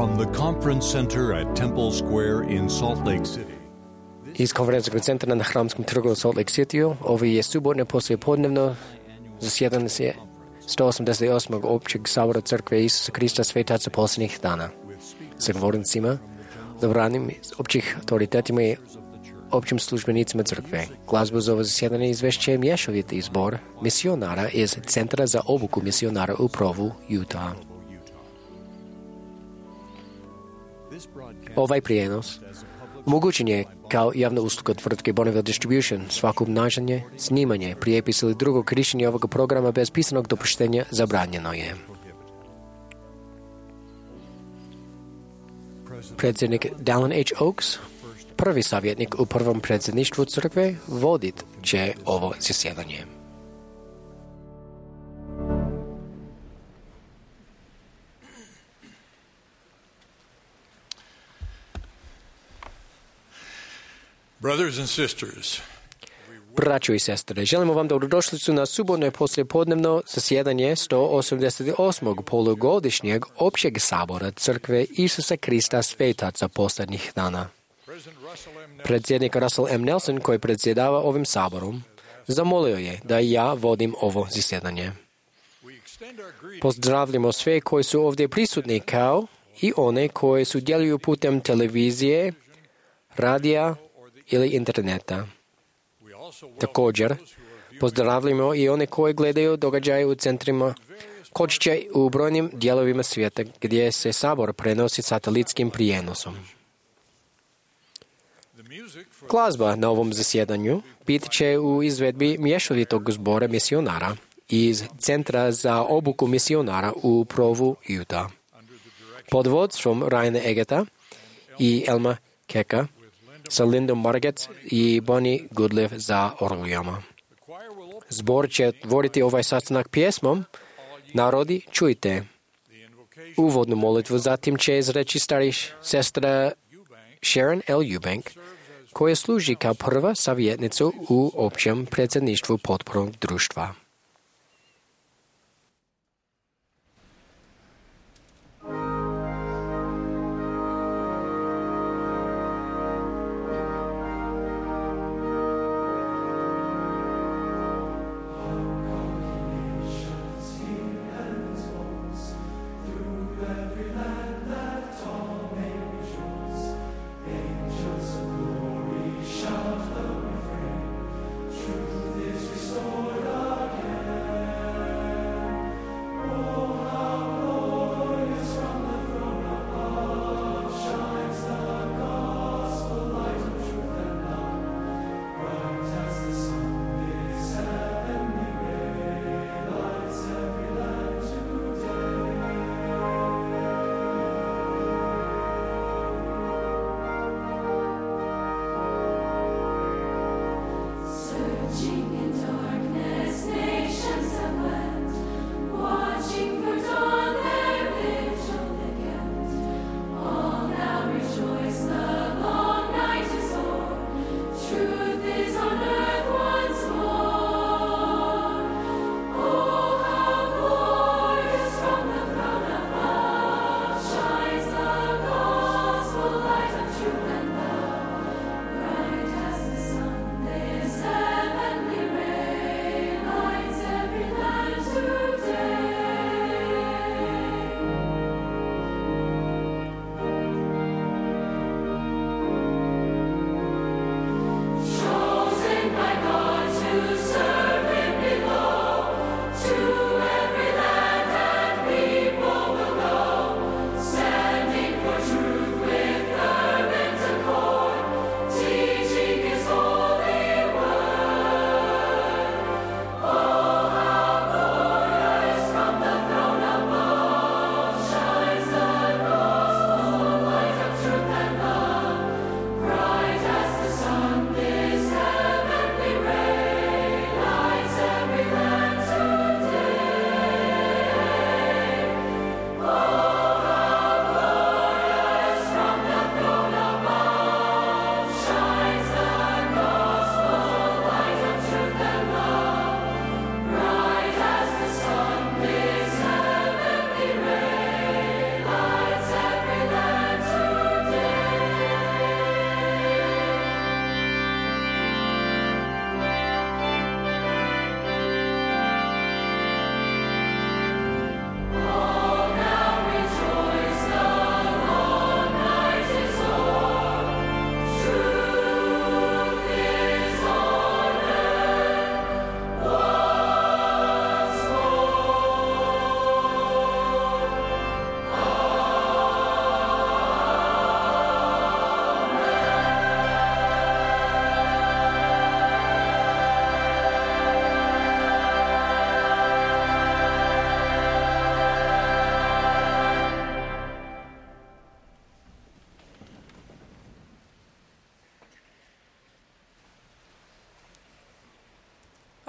From the Conference Center at Temple Square in Salt Lake City. Из конференцного центра на Храмском торгу Солт-Лейк-Сити, овие субботне послеподневно заседание 188 общего собора Церкви Иисуса Христа Святаца последних дана. Заговорницами, забранными общих авторитетами, общим службеницами Церкви. Глазбу за заседание извещаем Ешовитый сбор миссионара из Центра за обуку миссионара у Прову, Юта. Ovaj prijenos omogućen je kao javna usluga tvrtke Bonneville Distribution. Svako obnašanje, snimanje, prijepis ili drugo korištenje ovoga programa bez pisanog dopuštenja zabranjeno je. Predsjednik Dallin H. Oaks, prvi savjetnik u prvom predsjedništvu crkve, vodit će ovo zasjedanje. Brothers and sisters, Braćo i sestre, želimo vam dobrodošlicu na subotno poslijepodnevno zasjedanje 188. polugodišnjeg općeg sabora Crkve Isusa Krista Svetaca posljednjih dana. Predsjednik Russell M. Nelson, koji predsjedava ovim saborom, zamolio je da ja vodim ovo zasjedanje. Pozdravljamo sve koji su ovdje prisutni kao i one koji sudjeluju putem televizije, radija ili interneta. Također, pozdravljamo i one koji gledaju događaje u centrima kočića u brojnim dijelovima svijeta gdje se sabor prenosi satelitskim prijenosom. Glazba na ovom zasjedanju bit će u izvedbi mješovitog zbora misionara iz Centra za obuku misionara u Provu, Utah. Pod vodstvom Ryana Egeta i Elma Keka sa Lindom Margetts i Bonnie Goodliff za orglijama. Zbor će voditi ovaj sastanak pjesmom Narodi, čujte. Uvodnu molitvu zatim će izreći stari sestra Sharon L. Eubank, koja služi kao prva savjetnica u općem predsjedništvu potpornog društva. Shout the refrain, truth is restored again.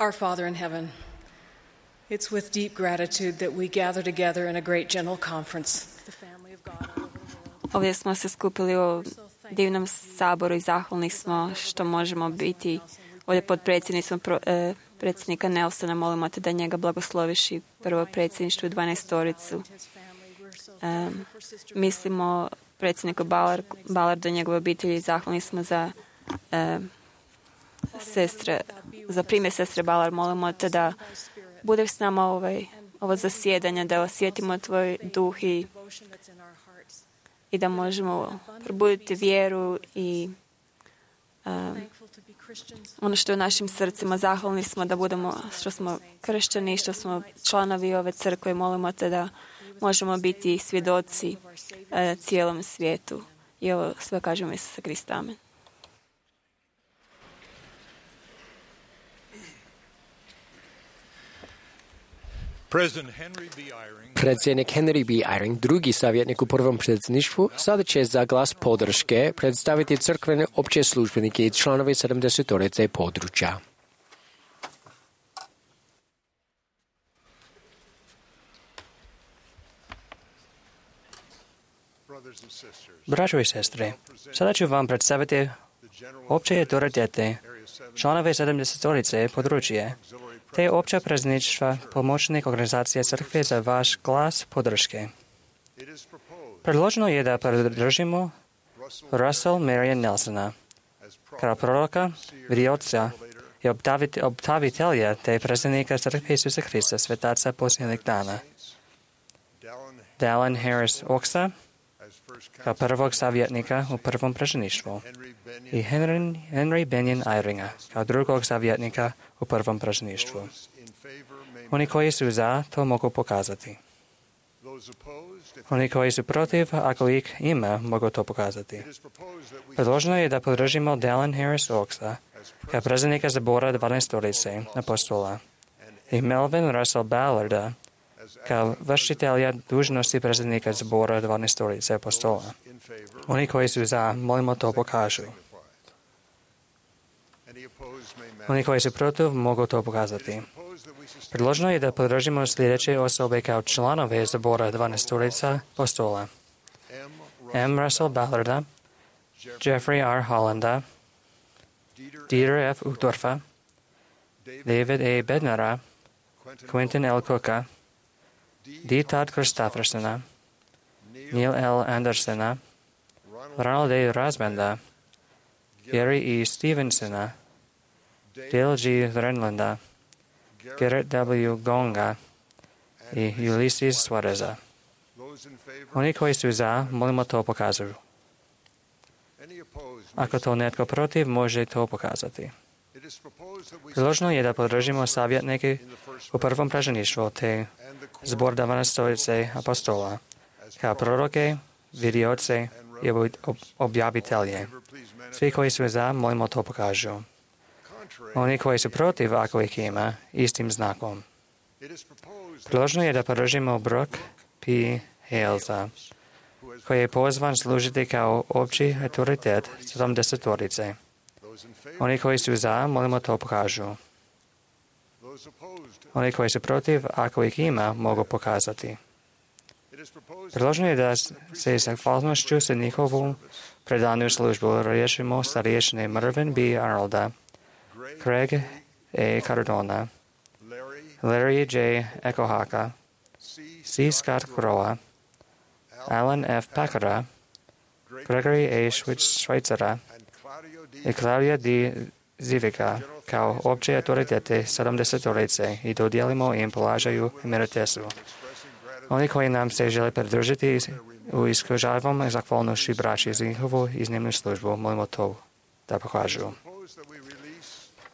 Our Father in heaven, it's with deep gratitude that we gather together in a great general conference. The family of God all over the world. Ovdje smo se skupili u divnom saboru i zahvalni smo što možemo biti ovdje pod predsjednika Nelsona. Molimo te da njega blagosloviš i prvo predsjedništvo i 12-toricu. Mislimo predsjedniku Ballardu i njegove obitelji. Zahvalni smo za primjer sestre Ballard. Molimo te da budeš s nama ovo zasjedanje, da osjetimo tvoj duh i da možemo probuditi vjeru i ono što je u našim srcima. Zahvalni smo da što smo kršćani, što smo članovi ove crkve. Molimo te da možemo biti svjedoci cijelom svijetu. I ovo sve kažemo Isusa Krista. Amen. Predsjednik Henry B. Eyring, drugi savjetnik u prvom predsjedništvu, sada će za glas podrške predstaviti crkvene opće službenike i članovi 70-torice područja. Braćo i sestre, sada ću vam predstaviti opće autoritete, članove 70-torice područje, te opća predsjedništva pomoćnik organizacije crkve za vaš glas podrške. Predloženo je da podržimo Russell Marion Nelsona kao proroka, vidioca i obtavitelja te predsjednika crkve Isusa Krista, svetaca posljednjih dana. Dallin Harris Oxa kao prvog savjetnika u prvom predsjedništvu i Henry Benyon Eyringa kao drugog savjetnika u prvom predsjedništvu. Oni koji su za, to mogu pokazati. Oni koji su protiv, ako ih ima, mogu to pokazati. Predloženo je da podržimo Dallin Harris Oxa kao predsjednika zbora 12-torice apostola i Melvin Russell Ballarda kao vršitelja dužnosti predsjednika zbora 12-torice apostola. Oni koji su za, molimo to pokažu. Oni koji su protiv, mogu to pokazati. Predloženo je da podržimo sljedeće osobe kao članove zbora 12-torice apostola. M. Russell Ballarda, Jeffrey R. Hollanda, Dieter F. Uchtdorfa, David A. Bednara, Quentin L. Cooka, D. Todd Christoffersona, Neil L. Andersona, Ronald A. Rasbanda, Gary E. Stevensona, Dale G. Renlanda, Garrett W. Gonga i Ulysses Suareza. Oni koji su za, molimo to pokazuju. Ako to netko protiv, može to pokazati. Predloženo je da podržimo savjetnike u prvom predsjedništvu te zbor 12-torice apostola kao proroke, vidioce i objavitelje. Svi koji su za, molimo to pokažu. Oni koji su protiv, ako ih ima, istim znakom. Predloženo je da podržimo Brooke P. Halesa, koji je pozvan služiti kao opći autoritet 70-torice. Oni koji su za, molimo to pokažu. Oni koji su protiv, ako ih ima, mogu pokazati. Predloženo je da se zahvalnošću za njihovu predanu službu riješimo starješine Mervyn B. Arnolda, Craig A. Cardona, Larry J. Ekohaka, C. Scott Crowa, Alan F. Packera, Gregory A. Schweitzera i Claudia D. Zivika kao opće autoritete 70-torice i dodijelimo im položaju emeritesu. Oni koji nam se žele pridružiti u iskažavom zahvalnošću braći za njihovu iznimnu službu, molimo to da pokažu.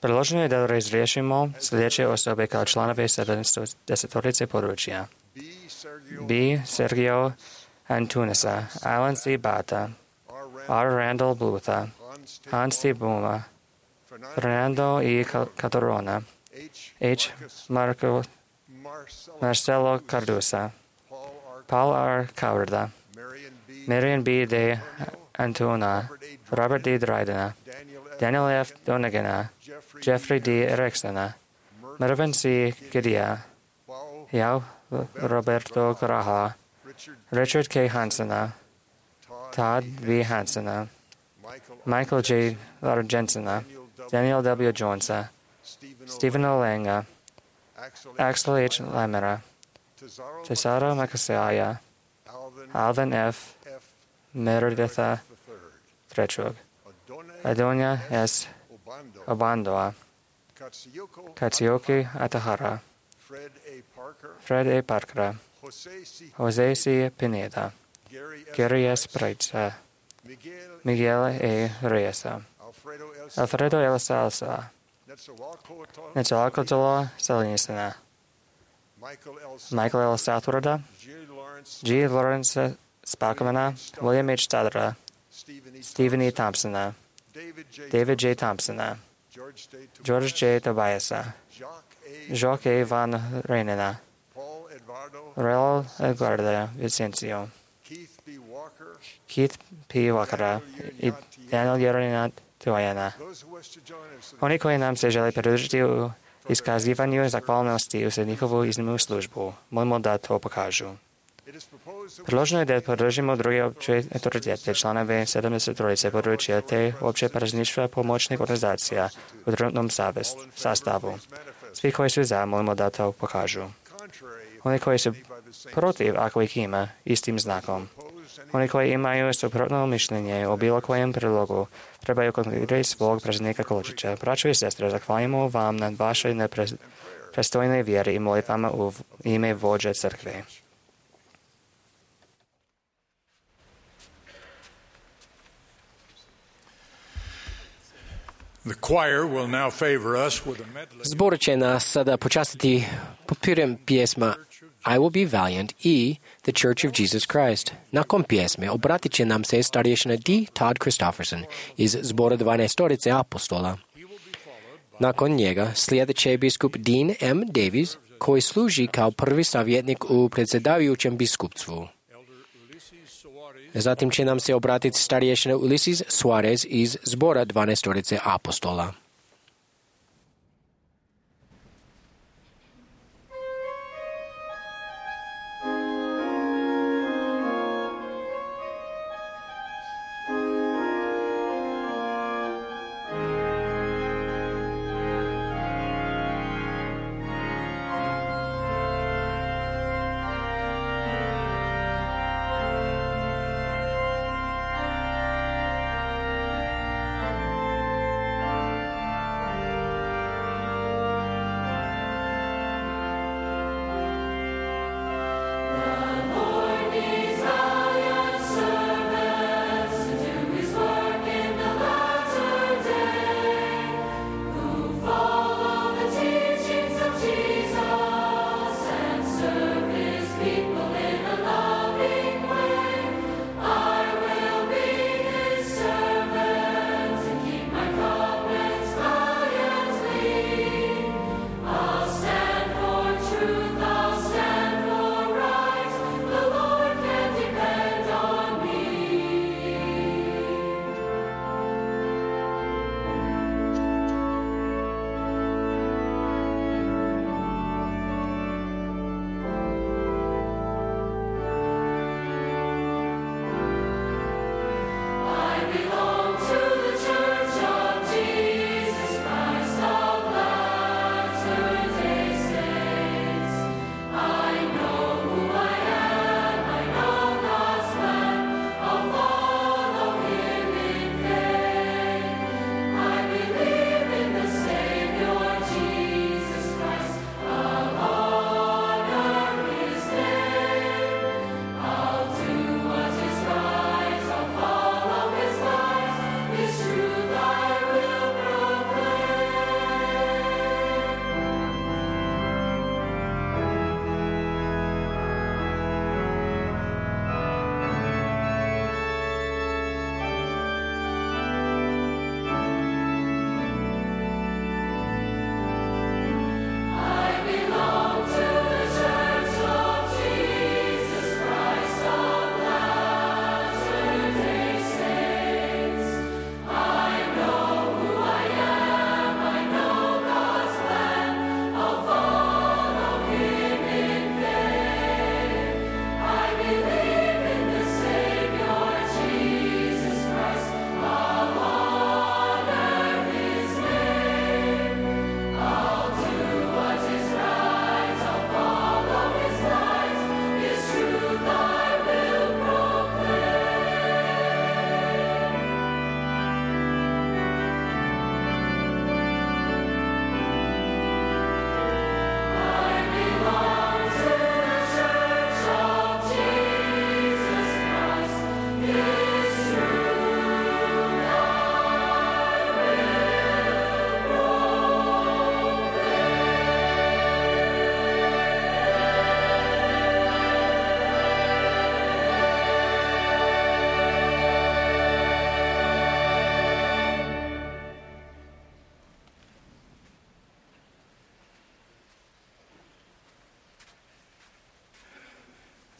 Predloženo je da razriješimo sljedeće osobe kao članove 70-torice područja. B. Sergio Antunesa, Alan C. Bata, R. Randall Blutha, Hans T. Buma, Fernando E. Catorona, H. Marcelo Cardusa, Paul R. Cowarda, Marion B. de Antuna, Robert D. Drydena, Daniel F. Donagana, Jeffrey D. Ericksona, Mervyn C. Gidia, Yao Roberto Graha, Richard K. Hansena, Todd V. Hansena, Michael J. Largensena, Daniel W. Jonesa, Stephen Olenga, Axel H. Lamera, Tesara Makasaya, Alvin F. Mereditha Trechug, Adonia S. Obandoa, Katsuyoki Atahara, Fred A. Parker, Jose C. Pineda, Gary S. Breitza, Miguel A. Reyesa, Alfredo L. Salsa, Netzawakotola Salinisana, Michael L. Southwarda, G. Lawrence Spackmana, William H. Stadra, Stephen E. Thompsona, David J. Thompsona, George J. Tobiasa, Jacques A. Van Reinena, Raul Edgarda Vicencio, Keith P. Wakara и Daniel Jeronina Tuajana. Oni koji nam se žele pridružiti u iskazivanju zahvalnosti za njihovu iznimnu službu, molimo da to pokažu. Predloženo je da podržimo druge opće autoritete, članove 73 područja te opće parazništva pomoćnih organizacija u trenutnom sastavu. Svi koji su za, molimo da to pokažu. Oni koji su protiv, ako ih ima, istim znakom. Oni koji imaju suprotno mišljenje o bilo kojem predlogu, trebaju kontaktirati svog predsjednika Koločića. Braćo i sestre, zahvaljujemo vam na vašoj neprestojnoj vjeri i molitvama u ime vođe crkve. Zbor će nas sada počastiti popirom pjesma I Will Be Valiant i The Church of Jesus Christ. Nakon pjesme obratit će nam se starješina D. Todd Christofferson iz zbora 12 apostola. Nakon njega slijedit će biskup Dean M. Davies, koji služi kao prvi savjetnik u predsjedavajućem biskupstvu. Zatim će nam se obratiti starješina Ulysses Suarez iz zbora 12 apostola.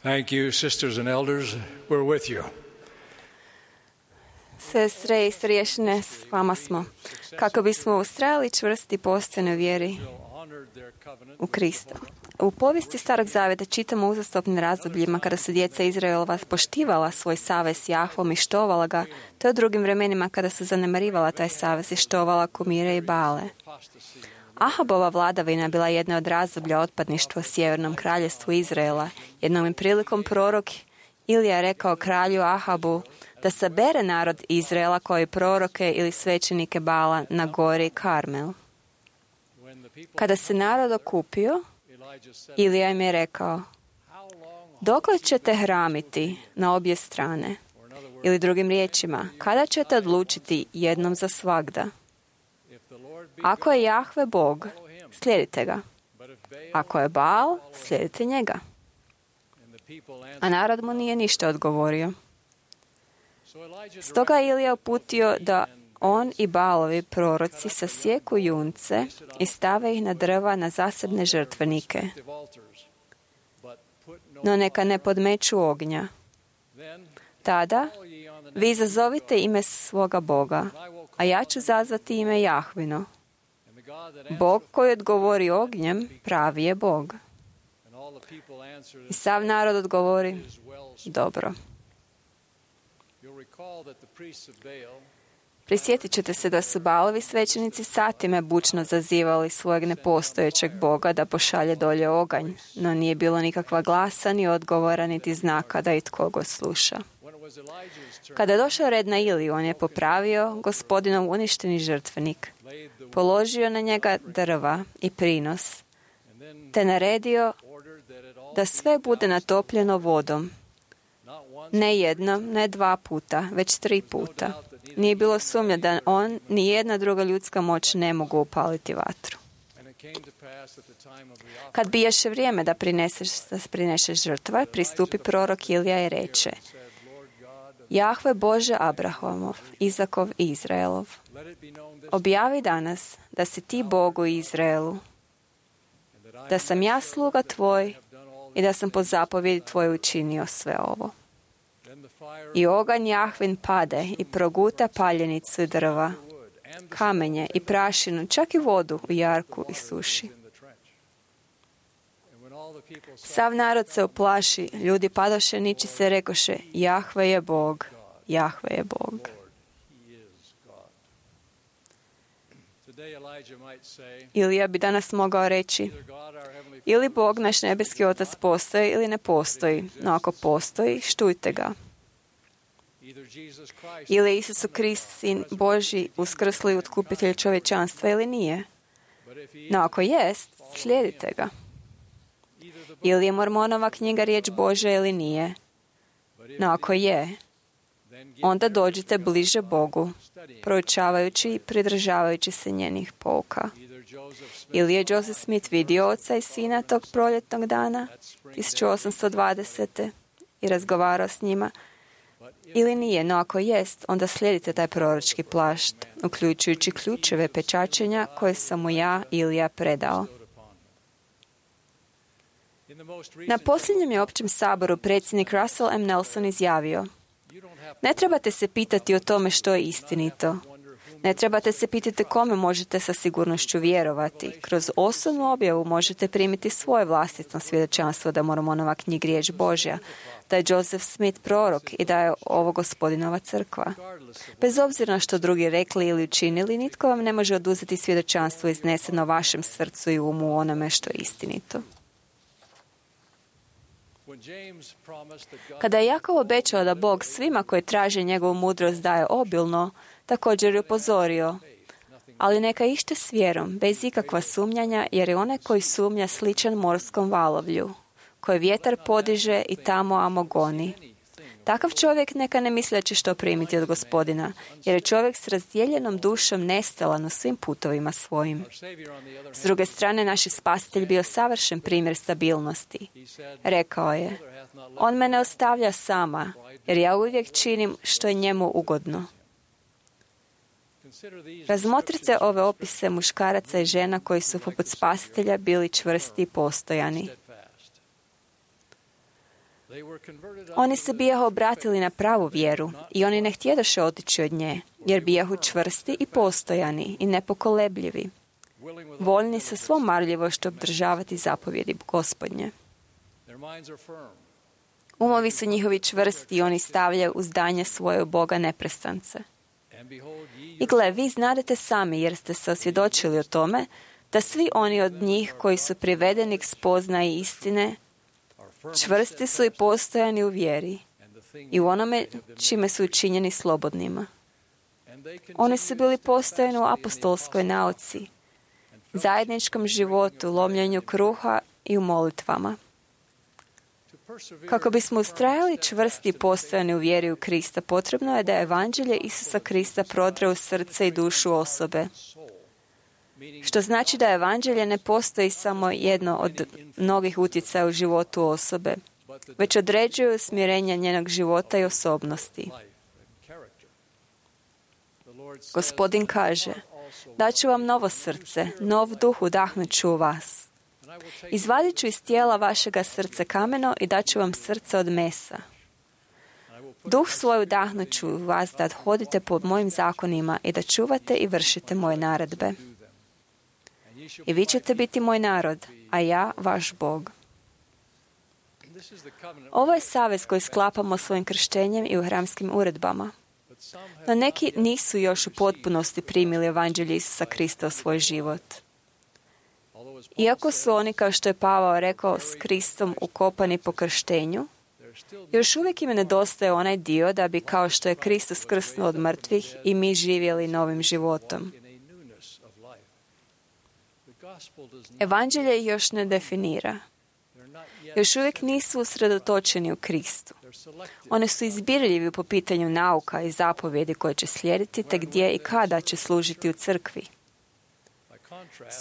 Thank you, sisters and elders. We're with you. Sestre i starješine, s vama smo, kako bismo ustrajali čvrsti postojnoj vjeri u Krista. U povijesti Starog zavjeta čitamo o uzastopnim razdobljima kada su djeca Izraelova poštivala svoj savez s Jahvom i štovala ga, te o drugim vremenima kada su zanemarivala taj savez i štovala kumire i Baale. Ahabova vladavina bila jedna od razdoblja otpadništva u sjevernom kraljevstvu Izraela. Jednom je prilikom prorok Ilija rekao kralju Ahabu da sabere narod Izraela koji proroke ili svećenike Baala na gori Karmel. Kada se narod okupio, Ilija im je rekao: dokle ćete hramiti na obje strane? Ili drugim riječima, kada ćete odlučiti jednom za svagda? Ako je Jahve Bog, slijedite ga. Ako je Baal, slijedite njega. A narod mu nije ništa odgovorio. Stoga je Ilija uputio da on i Baalovi proroci sasjeku junce i stave ih na drva na zasebne žrtvenike. No neka ne podmeću ognja. Tada vi izazovite ime svoga Boga, a ja ću zazvati ime Jahvino. Bog koji odgovori ognjem, pravi je Bog. I sav narod odgovori: dobro. Prisjetit ćete se da su Baalovi svećenici satima bučno zazivali svojeg nepostojećeg Boga da pošalje dolje oganj, no nije bilo nikakva glasa, ni odgovora, niti znaka da itko go sluša. Kada je došao red na Iliju, on je popravio Gospodinov uništeni žrtvenik, položio na njega drva i prinos, te naredio da sve bude natopljeno vodom. Ne jednom, ne 2 puta, već 3 puta. Nije bilo sumnja da on ni jedna druga ljudska moć ne mogu upaliti vatru. Kad bijaše vrijeme da prineseš žrtve, pristupi prorok Ilija i reče: Jahve Bože Abrahamov, Izakov i Izraelov, objavi danas da si ti Bog u Izraelu, da sam ja sluga tvoj i da sam po zapovjedi tvoj učinio sve ovo. I oganj Jahvin pade i proguta paljenicu i drva, kamenje i prašinu, čak i vodu u jarku i suši. Sav narod se uplaši, ljudi padoše niči se rekoše: Jahve je Bog, Jahve je Bog. Ilija bi danas mogao reći: ili Bog, naš nebeski Otac, postoji ili ne postoji, no ako postoji, štujte ga. Ili Isus Krist, Sin Božji, uskrsli otkupitelj čovječanstva ili nije. No ako jest, slijedite ga. Ili je Mormonova knjiga riječ Božja ili nije. No ako je, onda dođite bliže Bogu, proučavajući i pridržavajući se njenih pouka. Ili je Joseph Smith vidio oca i sina tog proljetnog dana 1820. i razgovarao s njima, ili nije, no ako jest, onda slijedite taj proročki plašt, uključujući ključeve pečačenja koje sam mu ja, Ilija, predao. Na posljednjem je općem saboru predsjednik Russell M. Nelson izjavio: ne trebate se pitati o tome što je istinito. Ne trebate se pitati kome možete sa sigurnošću vjerovati. Kroz osobnu objavu možete primiti svoje vlastito svjedočanstvo da Mormonova knjiga riječ Božja, da je Joseph Smith prorok i da je ovo Gospodinova crkva. Bez obzira na što drugi rekli ili učinili, nitko vam ne može oduzeti svjedočanstvo izneseno vašem srcu i umu u onome što je istinito. Kada je Jakov obećao da Bog svima koji traže njegovu mudrost daje obilno, također je upozorio: ali neka ište s vjerom, bez ikakva sumnjanja, jer je onaj koji sumnja sličan morskom valovlju, koji vjetar podiže i tamo amo goni. Takav čovjek neka ne misli da će što primiti od Gospodina, jer je čovjek s razdijeljenom dušom nestalan u svim putovima svojim. S druge strane, naš spasitelj bio savršen primjer stabilnosti. Rekao je: on me ne ostavlja sama, jer ja uvijek činim što je njemu ugodno. Razmotrite ove opise muškaraca i žena koji su poput spasitelja bili čvrsti i postojani. Oni se bijahu obratili na pravu vjeru i oni ne htjedoše otići od nje, jer bijahu čvrsti i postojani i nepokolebljivi, voljni sa svom marljivošću obdržavati zapovjedi Gospodnje. Umovi su njihovi čvrsti i oni stavljaju u zdanje svoje u Boga neprestance. I gle, vi znadete sami, jer ste se osvjedočili o tome, da svi oni od njih koji su privedeni k spoznaji istine, čvrsti su i postojani u vjeri i u onome čime su učinjeni slobodnima. Oni su bili postojani u apostolskoj nauci, zajedničkom životu, lomljenju kruha i u molitvama. Kako bismo ustrajali čvrsti i postojani u vjeri u Krista, potrebno je da evanđelje Isusa Krista prodre u srce i dušu osobe. Što znači da evanđelje ne postoji samo jedno od mnogih utjecaja u životu osobe, već određuje usmjerenje njenog života i osobnosti. Gospodin kaže, daću vam novo srce, nov duh udahnut ću u vas. Izvadit ću iz tijela vašega srce kameno i daću vam srce od mesa. Duh svoj udahnut ću u vas da hodite po mojim zakonima i da čuvate i vršite moje naredbe. I vi ćete biti moj narod, a ja vaš Bog. Ovo je savez koji sklapamo svojim krštenjem i u hramskim uredbama. No neki nisu još u potpunosti primili evanđelje Isusa Krista u svoj život. Iako su oni, kao što je Pavao rekao, s Kristom ukopani po krštenju, još uvijek im nedostaje onaj dio da bi, kao što je Kristus uskrsnuo od mrtvih, i mi živjeli novim životom. Evanđelje ih još ne definira. Još uvijek nisu usredotočeni u Kristu. One su izbirljivi po pitanju nauka i zapovjedi koje će slijediti, te gdje i kada će služiti u crkvi.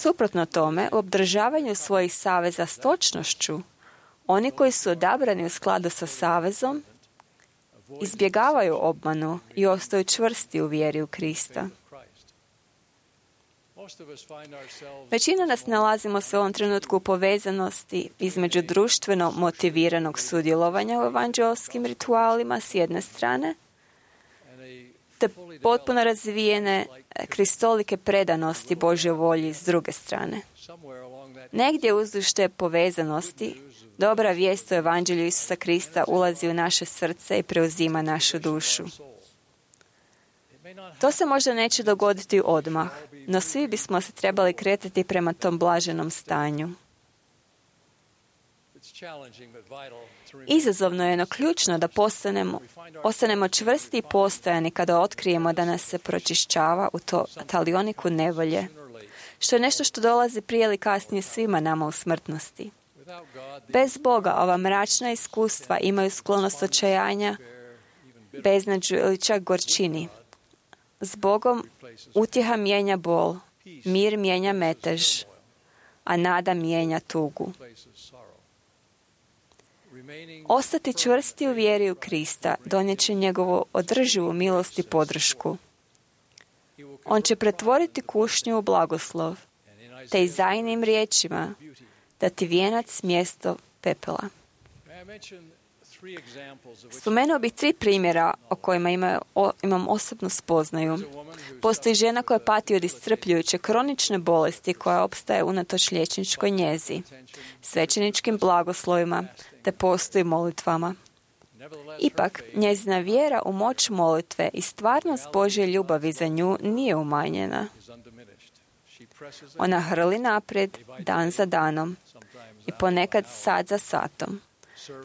Suprotno tome, u obdržavanju svojih saveza s točnošću, oni koji su odabrani u skladu sa savezom, izbjegavaju obmanu i ostaju čvrsti u vjeri u Krista. Većina nas nalazimo se u ovom trenutku u povezanosti između društveno motiviranog sudjelovanja u evanđelskim ritualima s jedne strane, te potpuno razvijene kristolike predanosti Božjoj volji s druge strane. Negdje uzduž te povezanosti dobra vijest o evanđelju Isusa Krista ulazi u naše srce i preuzima našu dušu. To se možda neće dogoditi odmah, no svi bismo se trebali kretati prema tom blaženom stanju. Izazovno je, no ključno da ostanemo čvrsti i postojani kada otkrijemo da nas se pročišćava u to talioniku nevolje, što je nešto što dolazi prije ili kasnije svima nama u smrtnosti. Bez Boga ova mračna iskustva imaju sklonost očajanja, beznađu ili čak gorčini. S Bogom utjeha mijenja bol, mir mijenja metež, a nada mijenja tugu. Ostati čvrsti u vjeri u Krista donijet će njegovu održivu milost i podršku. On će pretvoriti kušnju u blagoslov, te Izaijinim riječima dati vijenac mjesto pepela. Spomenuo bih 3 primjera o kojima imam osobnu spoznaju. Postoji žena koja pati od iscrpljujuće kronične bolesti koja opstaje unatoč liječničkoj njezi, svećeničkim blagoslovima te postoji molitvama. Ipak, njezina vjera u moć molitve i stvarnost Božje ljubavi za nju nije umanjena. Ona hrli naprijed dan za danom i ponekad sat za satom,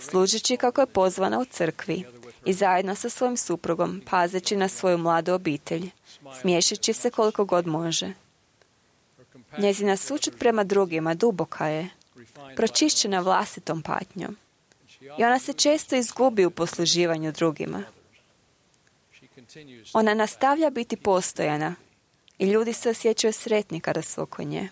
služeći kako je pozvana u crkvi i zajedno sa svojim suprugom, pazeći na svoju mladu obitelj, smiješeći se koliko god može. Njezina sućut prema drugima duboka je, pročišćena vlastitom patnjom. I ona se često izgubi u posluživanju drugima. Ona nastavlja biti postojana i ljudi se osjećaju sretni kada su oko nje.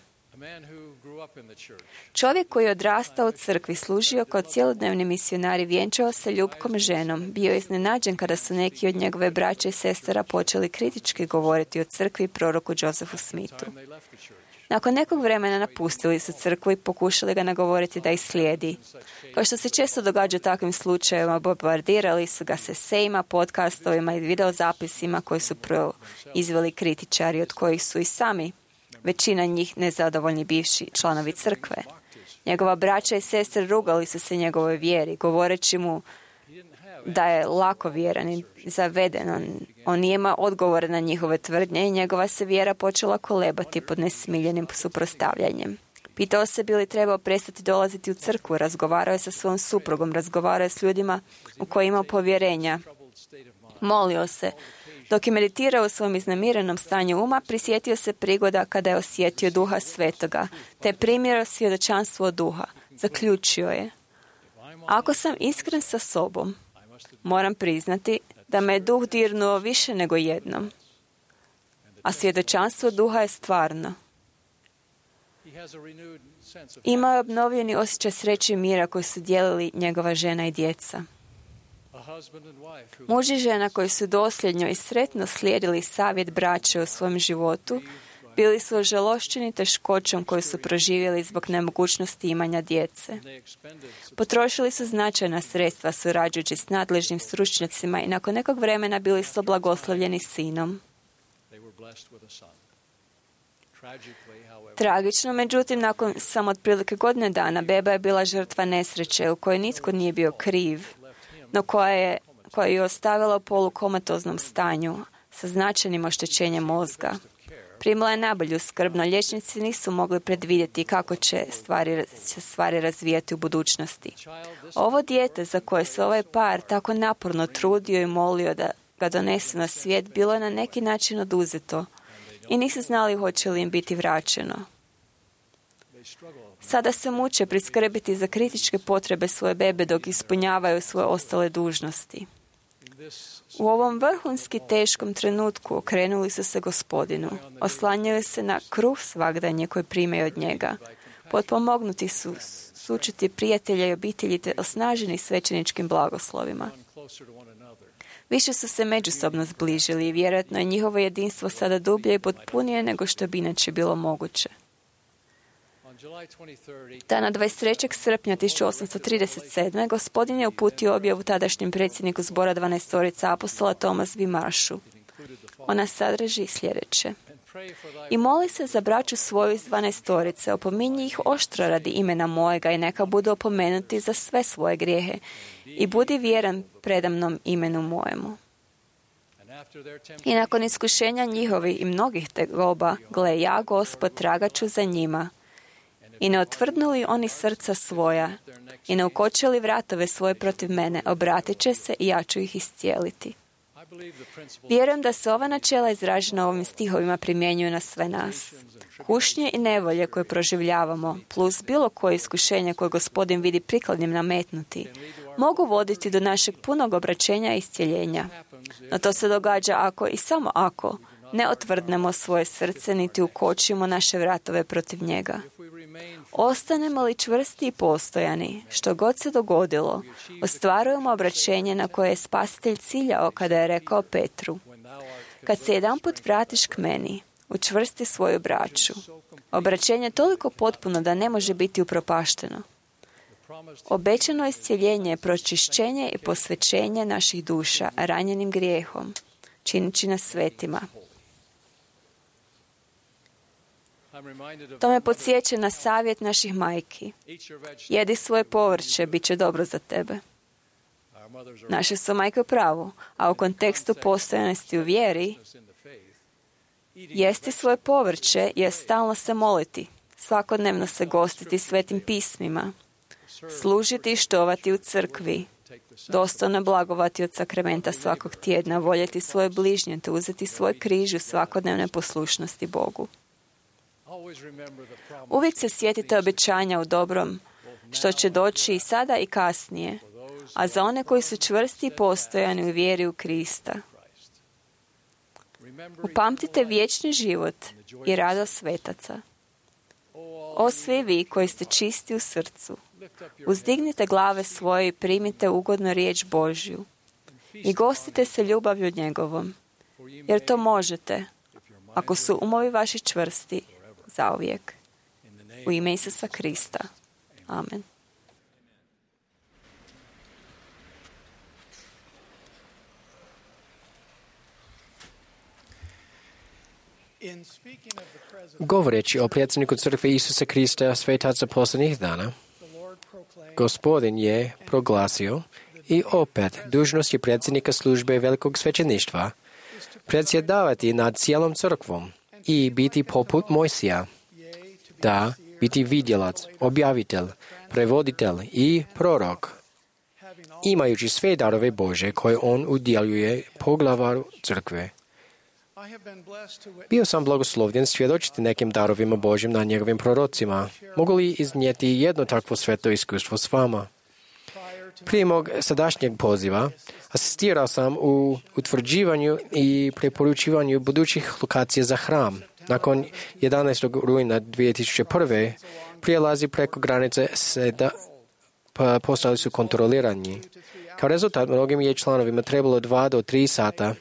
Čovjek koji je odrastao u crkvi, služio kao cjelodnevni misionar i vjenčao se ljubkom ženom, bio je iznenađen kada su neki od njegove braće i sestara počeli kritički govoriti o crkvi i proroku Josephu Smithu. Nakon nekog vremena napustili su crkvu i pokušali ga nagovoriti da ih slijedi. Kao što se često događa u takvim slučajevima, bombardirali su ga se sejma, podcastovima i videozapisima koji su izveli kritičari, od kojih su i sami većina njih nezadovoljni bivši članovi crkve. Njegova braća i sestre rugali su se njegovoj vjeri, govoreći mu da je lakovjeran i zaveden. On nije imao odgovore na njihove tvrdnje i njegova se vjera počela kolebati pod nesmiljenim suprotstavljanjem. Pitao se bi li trebao prestati dolaziti u crkvu, razgovarao je sa svojom suprugom, razgovarao je s ljudima u koje imao povjerenja. Molio se. Dok je meditirao u svom iznemirenom stanju uma, prisjetio se prigoda kada je osjetio Duha Svetoga, te je primio svjedočanstvo od Duha. Zaključio je: ako sam iskren sa sobom, moram priznati da me je Duh dirnuo više nego jednom, a svjedočanstvo Duha je stvarno. Imao je obnovljeni osjećaj sreće i mira koji su dijelili njegova žena i djeca. Muž i žena koji su dosljedno i sretno slijedili savjet braće u svom životu, bili su ožalošćeni teškoćom koju su proživjeli zbog nemogućnosti imanja djece. Potrošili su značajna sredstva surađujući s nadležnim stručnjacima i nakon nekog vremena bili su blagoslovljeni sinom. Tragično, međutim, nakon samo otprilike godine dana, beba je bila žrtva nesreće u kojoj nitko nije bio kriv, no koja je ostavila u polukomatoznom stanju sa značajnim oštećenjem mozga. Primila je najbolju skrb, no liječnici nisu mogli predvidjeti kako će stvari razvijati u budućnosti. Ovo dijete za koje se ovaj par tako naporno trudio i molio da ga donesu na svijet, bilo je na neki način oduzeto i nisu znali hoće li im biti vraćeno. Sada se muče priskrbiti za kritičke potrebe svoje bebe dok ispunjavaju svoje ostale dužnosti. U ovom vrhunski teškom trenutku okrenuli su se Gospodinu. Oslanjaju se na kruh svagdanje koji primaju od njega. Potpomognuti su sučiti prijatelja i obitelji te osnaženi svećeničkim blagoslovima. Više su se međusobno zbližili i vjerojatno je njihovo jedinstvo sada dublje i potpunije nego što bi inače bilo moguće. Dana 23. srpnja 1837. Gospodin je uputio objavu tadašnjem predsjedniku zbora 12 apostola Thomas V. Marshu. Ona sadrži sljedeće: i moli se za braću svoju iz 12, opominji ih oštro radi imena mojega i neka budu opomenuti za sve svoje grijehe i budi vjeran predamnom imenu mojemu. I nakon iskušenja njihovi i mnogih tegoba, gle, ja, Gospod, tragat ću za njima. I ne otvrdnuli oni srca svoja i ne ukočili vratove svoje protiv mene, obratit će se i ja ću ih iscijeliti. Vjerujem da se ova načela izražena ovim stihovima primjenjuju na sve nas. Kušnje i nevolje koje proživljavamo, plus bilo koje iskušenje koje Gospodin vidi prikladnim nametnuti, mogu voditi do našeg punog obraćenja i iscjeljenja. No to se događa ako i samo ako ne otvrdnemo svoje srce niti ukočimo naše vratove protiv njega. Ostanemo li čvrsti i postojani, što god se dogodilo, ostvarujemo obraćenje na koje je Spasitelj ciljao kada je rekao Petru: kad se jedanput vratiš k meni, učvrsti svoju braću. Obraćenje je toliko potpuno da ne može biti upropašteno. Obećano iscjeljenje, pročišćenje i posvećenje naših duša ranjenim grijehom, činići nas svetima. To me podsjeća na savjet naših majki. Jedi svoje povrće, bit će dobro za tebe. Naše su majke u pravu, a u kontekstu postojanosti u vjeri, jesti svoje povrće je stalno se moliti, svakodnevno se gostiti svetim pismima, služiti i štovati u crkvi, dostojno blagovati od sakramenta svakog tjedna, voljeti svoje bližnje te uzeti svoj križ u svakodnevne poslušnosti Bogu. Uvijek se sjetite obećanja u dobrom, što će doći i sada i kasnije, a za one koji su čvrsti i postojani u vjeri u Krista. Upamtite vječni život i radost svetaca. O svi vi koji ste čisti u srcu, uzdignite glave svoje i primite ugodno riječ Božju i gostite se ljubavlju njegovom, jer to možete, ako su umovi vaši čvrsti, zauvijek. U ime Isusa Krista. Amen. Govoreći o predsjedniku crkve Isusa Krista svetaca posljednjih dana, Gospodin je proglasio i opet dužnost je predsjednika službe velikog svećeništva predsjedavati nad cijelom crkvom i biti poput Mojsija, da biti vidjelac, objavitelj, prevoditelj i prorok, imajući sve darove Bože koje on udjeljuje poglavaru crkve. Bio sam blagoslovljen svjedočiti nekim darovima Božjim na njegovim prorocima. Mogu li iznijeti jedno takvo sveto iskustvo s vama? Prije mog sadašnjeg poziva asistirao sam u utvrđivanju i preporučivanju budućih lokacija za hram. Nakon 11. rujna 2001. prijelazi preko granice postali su kontrolirani. Kao rezultat, mnogim je članovima trebalo 2 do 3 sata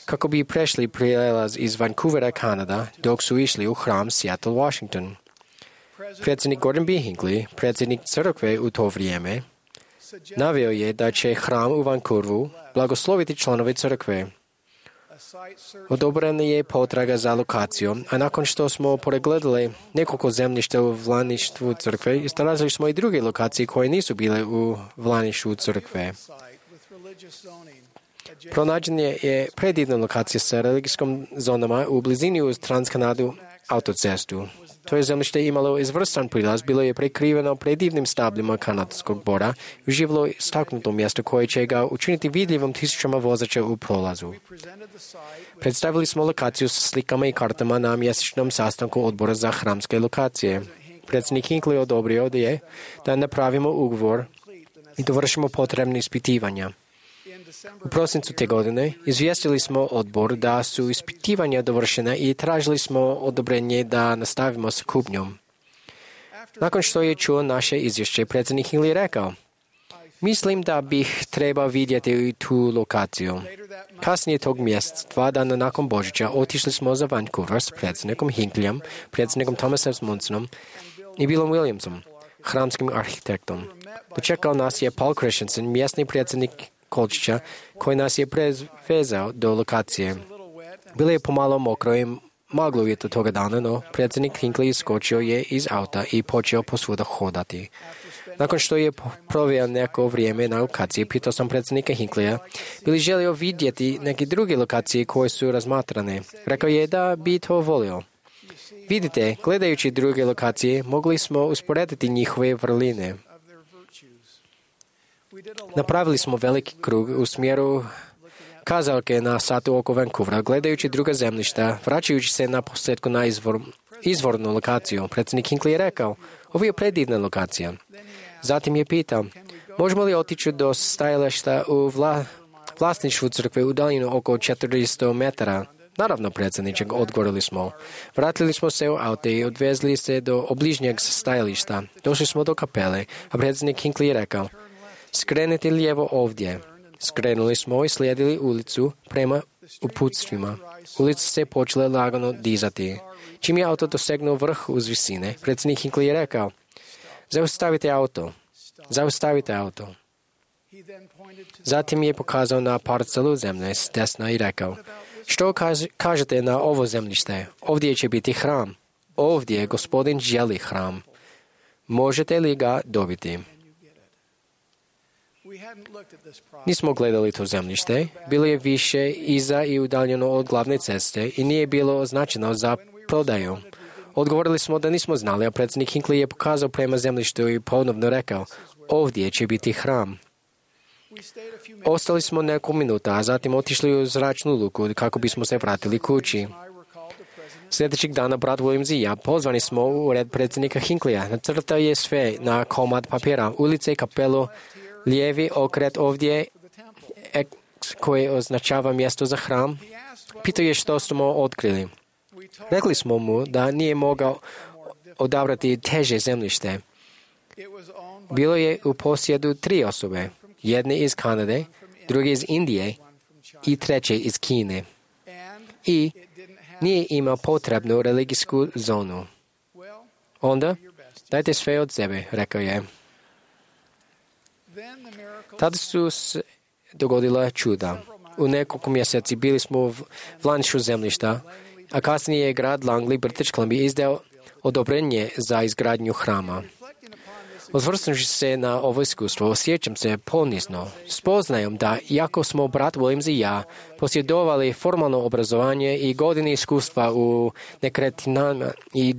kako bi prešli prijelaz iz Vancouvera, Kanada, dok su išli u hram Seattle, Washington. Predsjednik Gordon B. Hinckley, predsjednik crkve u to vrijeme, naveo je da će hram u Vancouveru blagosloviti članove crkve. Odobrena je potraga za lokacijom, a nakon što smo pregledali nekoliko zemljišta u vlasništvu crkve, istražili smo i druge lokacije koje nisu bile u vlasništvu crkve. Pronađena je predivna lokacija sa religijskom zonama u blizini uz Transkanadu autocestu. To je zemljište imalo izvrstan prilaz, bilo je prekriveno predivnim stablima kanadskog bora i uživalo istaknuto mjesto koje će ga učiniti vidljivom tisućama vozača u prolazu. Predstavili smo lokaciju sa slikama i kartama na mjesečnom sastanku odbora za hramske lokacije. Predsjednik Hinckley odobrio da napravimo ugovor i dovršimo potrebne ispitivanja. U prosincu te godine izvijestili smo odbor da su ispitivanja dovršena i tražili smo odobrenje da nastavimo s kupnjom. Nakon što je čuo naše izvješće, predsjednik Hinckley rekao: "Mislim da bih trebao vidjeti tu lokaciju." Kasnije tog mjeseca, 2 dana nakon Božića, otišli smo za Vancouver s predsjednikom Hinkleyem, predsjednikom Thomasom Munsonom i Billom Williamsom, hramskim arhitektom. Dočekao nas je Paul Christensen, mjesni predsjednik Kolčića, koji nas je prevezao do lokacije. Bilo je pomalo mokro i maglovito toga dana, no predsjednik Hinckley iskočio je iz auta i počeo posvuda hodati. Nakon što je proveo neko vrijeme na lokaciji, pitao sam predsjednika Hincleya bi li želio vidjeti neke druge lokacije koje su razmatrane. Rekao je da bi to volio. Vidite, gledajući druge lokacije, mogli smo usporediti njihove vrline. Napravili smo veliki krug u smjeru kazaljke na satu oko Vancouvera, gledajući druga zemljišta, vraćajući se na posljedku na izvornu lokaciju. Predsjednik Hinckley je rekao: "Ovo je predivna lokacija." Zatim je pitao: "Možemo li otići do stajališta u vlasništvu crkve u daljinu oko 400 metara?" "Naravno, predsjedniče," odgovorili smo. Vratili smo se u auto i odvezli se do obližnjeg stajališta. Došli smo do kapele, a predsjednik Hinckley je rekao: "Skrenite lijevo ovdje." Skrenuli smo i slijedili ulicu prema uputstvima. Ulica se počela lagano dizati. Čim je auto dosegnuo vrh uz visine, predsjednik Hinckley je rekao: "Zaustavite auto. Zaustavite auto." Zatim je pokazao na parcelu zemlje s desna i rekao: "Što kažete na ovo zemljište? Ovdje će biti hram. Ovdje Gospodin želi hram. Možete li ga dobiti?" Nismo gledali to zemljište, bilo je više iza i udaljeno od glavne ceste i nije bilo označeno za prodaju. Odgovorili smo da nismo znali, a predsjednik Hinckley je pokazao prema zemljištu i ponovno rekao: "Ovdje će biti hram." Ostali smo nekoliko minuta, a zatim otišli u zračnu luku kako bismo se vratili kući. Sljedećeg dana brat Williams i ja pozvani smo u ured predsjednika Hincleya. Nacrtao je sve na komad papira: ulice, kapelu, lijevi okret ovdje koje označava mjesto za hram. Pitao je što smo otkrili. Rekli smo mu da nije mogao odabrati teže zemljište. Bilo je u posjedu 3 osobe, jedne iz Kanade, druge iz Indije i treće iz Kine. I nije imao potrebnu religijsku zonu. Onda, dajte sve od sebe, rekao je. Tada su se dogodila čuda. U nekoliko mjeseci bili smo u vlasništvu zemljišta, a kasnije je grad Langley, British Columbia, izdao odobrenje za izgradnju hrama. Osvrnuši se na ovo iskustvo, osjećam se ponizno, spoznajom da, iako smo brat Williams i ja posjedovali formalno obrazovanje i godine iskustva u nekretninama i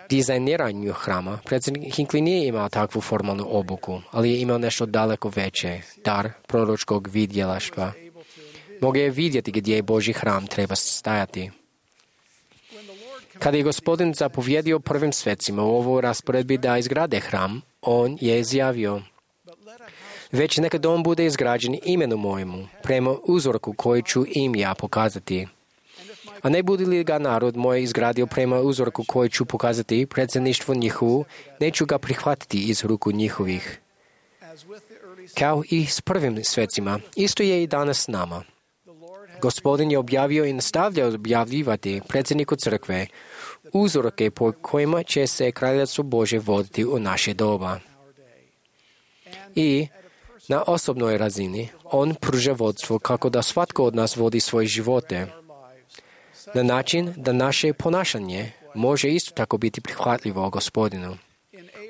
dizajniranju hrama, predsjednik Hinckley nije imao takvu formalnu obuku, ali je imao nešto daleko veće, dar proročkog vidjelaštva. Mogu je vidjeti gdje Božji hram treba stajati. Kada je Gospodin zapovjedio prvim svecima u ovoj rasporedbi da izgrade hram, on je izjavio: već neka dom bude izgrađen imenu mojemu, prema uzorku koji ću im ja pokazati. A ne bude li ga narod moj izgradio prema uzorku koji ću pokazati predsjedništvo njihovu, neću ga prihvatiti iz ruku njihovih. Kao i s prvim svecima, isto je i danas s nama. Gospodin je objavio i nastavlja objavljivati predsjedniku crkve uzorke po kojima će se kraljevstvo Božje voditi u naše doba. I na osobnoj razini on pruža vodstvo kako da svatko od nas vodi svoje živote na način da naše ponašanje može isto tako biti prihvatljivo Gospodinu.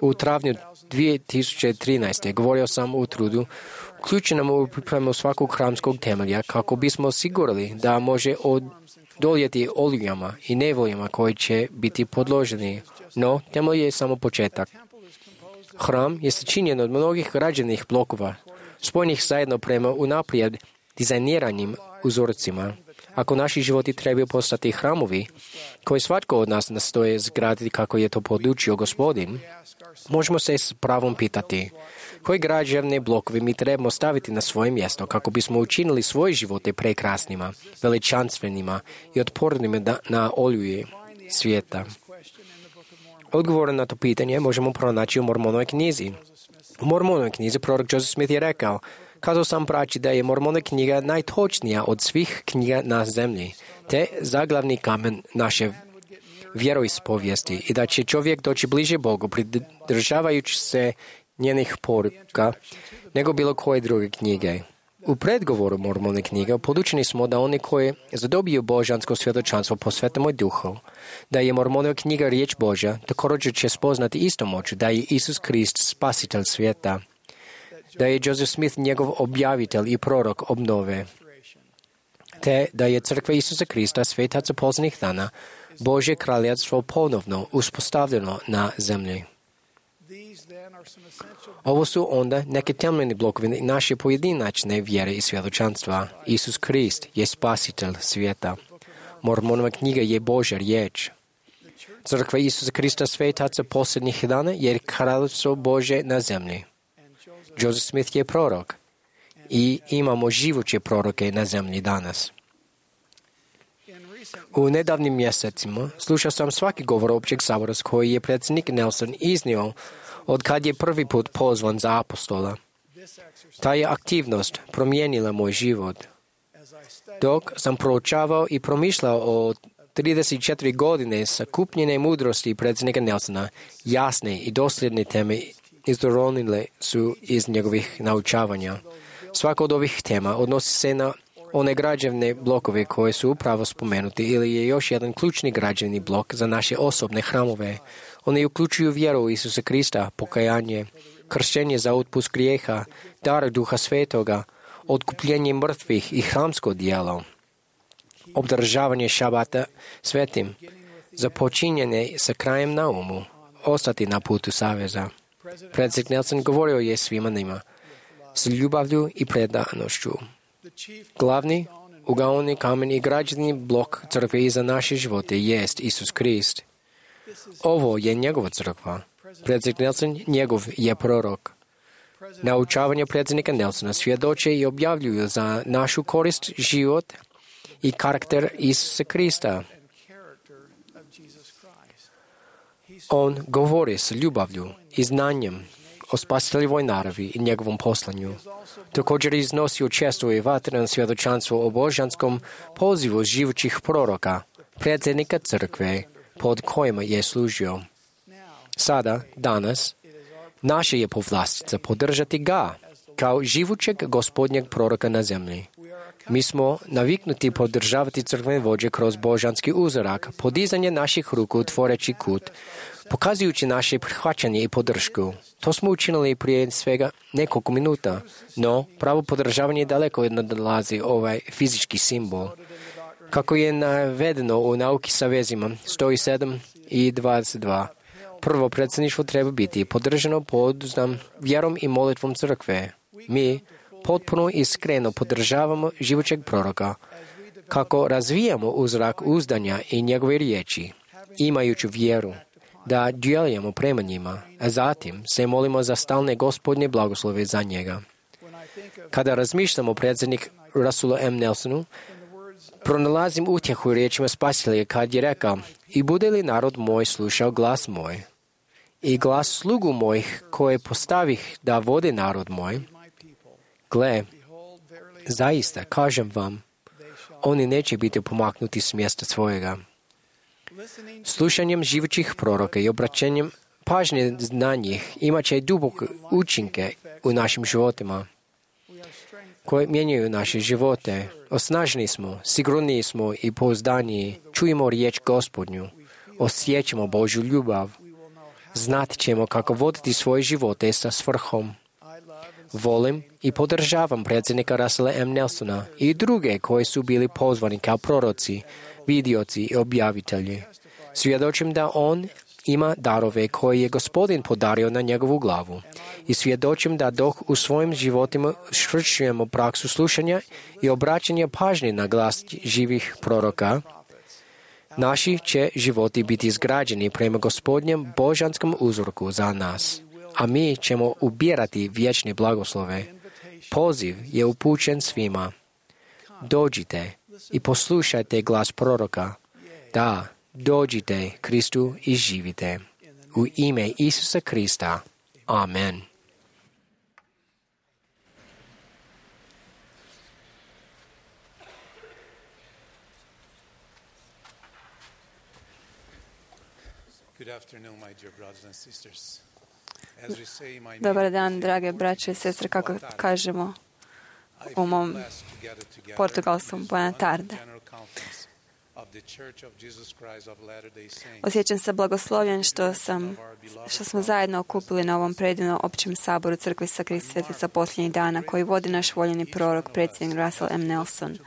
U travnju 2013. govorio sam u trudu uključenom u pripremu svakog hramskog temelja kako bismo osigurali da može odoljeti olujama i nevoljama koji će biti podloženi, no temelj je samo početak. Hram je sačinjen od mnogih građevnih blokova, spojenih zajedno prema unaprijed dizajniranim uzorcima. Ako naši životi trebaju postati hramovi, koji svatko od nas nastoje zgraditi kako je to podučio Gospodin, možemo se s pravom pitati koji građevne blokovi mi trebamo staviti na svoje mjesto kako bismo učinili svoje živote prekrasnima, veličanstvenima i otpornima na oluje svijeta. Odgovor na to pitanje možemo pronaći u Mormonovoj knjizi. U Mormonovoj knjizi prorok Joseph Smith je rekao: kazao sam braći da je Mormonova knjiga najtočnija od svih knjiga na zemlji, te zaglavni kamen naše vjeroispovijesti i da će čovjek doći bliže Bogu pridržavajući se njenih poruka nego bilo koje druge knjige. U predgovoru Mormonove knjige podučeni smo da oni koji zadobiju božansko svjedočanstvo po Svetom Duhu, da je Mormonova knjiga riječ Božja, također će spoznati isto moć da je Isus Krist spasitelj svijeta, da je Joseph Smith njegov objavitelj i prorok obnove, te da je crkva Isusa Krista svetaca posljednjih dana, Božje kraljevstvo ponovno uspostavljeno na zemlji. Ovo su onda neke temeljni blokovi naše pojedinačne vjere i svjedočanstva. Isus Krist je spasitelj svijeta. Mormonova knjiga je Božja riječ. Crkva Isusa Krista svetaca posljednjih dana je kraljevstvo Božje na zemlji. Joseph Smith je prorok i imamo živuće proroke na zemlji danas. U nedavnim mjesecima slušao sam svaki govor općeg sabora koji je predsjednik Nelson iznio od kad je prvi put pozvan za apostola. Ta je aktivnost promijenila moj život. Dok sam proučavao i promišljao o 34 godine sakupljene mudrosti predsjednika Nelsona, jasne i dosljedne teme izdoronile su iz njegovih naučavanja. Svaka od ovih tema odnosi se na one građevne blokove koje su upravo spomenuti ili je još jedan ključni građevni blok za naše osobne hramove. Oni uključuju vjeru u Isusa Krista, pokajanje, kršćenje za otpust grijeha, dar Duha Svetoga, otkupljenje mrtvih i hramsko djelo, obdržavanje šabata svetim, započinjene sa krajem na umu, ostati na putu saveza. Predsjednik Nelson govorio je svima njima s ljubavlju i predanošću. Glavni ugaoni kamen i građevni blok crkve za naše živote jest Isus Krist. Ovo je njegova crkva. Predsjednik Nelson njegov je prorok. Naučavanje predsjednika Nelsona svjedoče i objavljuju za našu korist život i karakter Isusa Krista. On govori s ljubavlju i znanjem o spasiteljevoj naravi i njegovom poslanju. Također iznosio često i vatreno svjedočanstvo o božanskom pozivu živućih proroka, predsjednika crkve, pod kojima je služio. Sada, danas, naša je povlastica podržati ga kao živućeg gospodnjeg proroka na zemlji. Mi smo naviknuti podržavati crkvene vođe kroz božanski uzorak, podizanje naših ruku tvoreći kut, pokazujući naše prihvaćanje i podršku. To smo učinili prije svega nekoliko minuta, no pravo podržavanje daleko nadolazi ovaj fizički simbol. Kako je navedeno u nauki sa vezima 107 i 22, prvo predsjedništvo treba biti podržano pouzdanom vjerom i molitvom crkve. Mi potpuno iskreno podržavamo živućeg proroka, kako razvijamo uzrak uzdanja i njegove riječi, imajući vjeru da djelujemo prema njima, a zatim se molimo za stalne gospodnje blagoslove za njega. Kada razmišljamo o predsjednik Russell M. Nelsonu, pronalazim utjehu u riječima Spasitelja kad je rekao: "I bude li narod moj slušao glas moj, i glas slugu mojih koje postavih da vode narod moj, gle, zaista, kažem vam, oni neće biti pomaknuti s mjesta svojega." Slušanjem živućih proroka i obraćanjem pažnje na njih imat će duboke učinke u našim životima, koje mijenjaju naše živote. Osnaženi smo, sigurniji smo i pouzdaniji, čujemo riječ Gospodnju, osjećamo Božju ljubav, znat ćemo kako voditi svoje živote sa svrhom. Volim i podržavam predsjednika Russella M. Nelsona i druge koji su bili pozvani kao proroci, vidioci i objavitelji. Svjedočim da on ima darove koje je Gospodin podario na njegovu glavu i svjedočim da dok u svojim životima švršujemo praksu slušanja i obraćanja pažnje na glas živih proroka, naši će životi biti izgrađeni prema Gospodnjem božanskom uzorku za nas, a mi ćemo ubirati vječne blagoslove. Poziv je upućen svima. Dođite i poslušajte glas proroka. Da, dođite Kristu i živite. U ime Isusa Krista. Amen. Dobar dan, drage braće i sestre, kako kažemo u mom portugalskom, buona tarde. Osjećam se blagoslovljen što smo zajedno okupili na ovom predivnom općem saboru Crkve Isusa Krista Svjetleca posljednjih dana, koji vodi naš voljeni prorok, predsjednik Russell M. Nelson.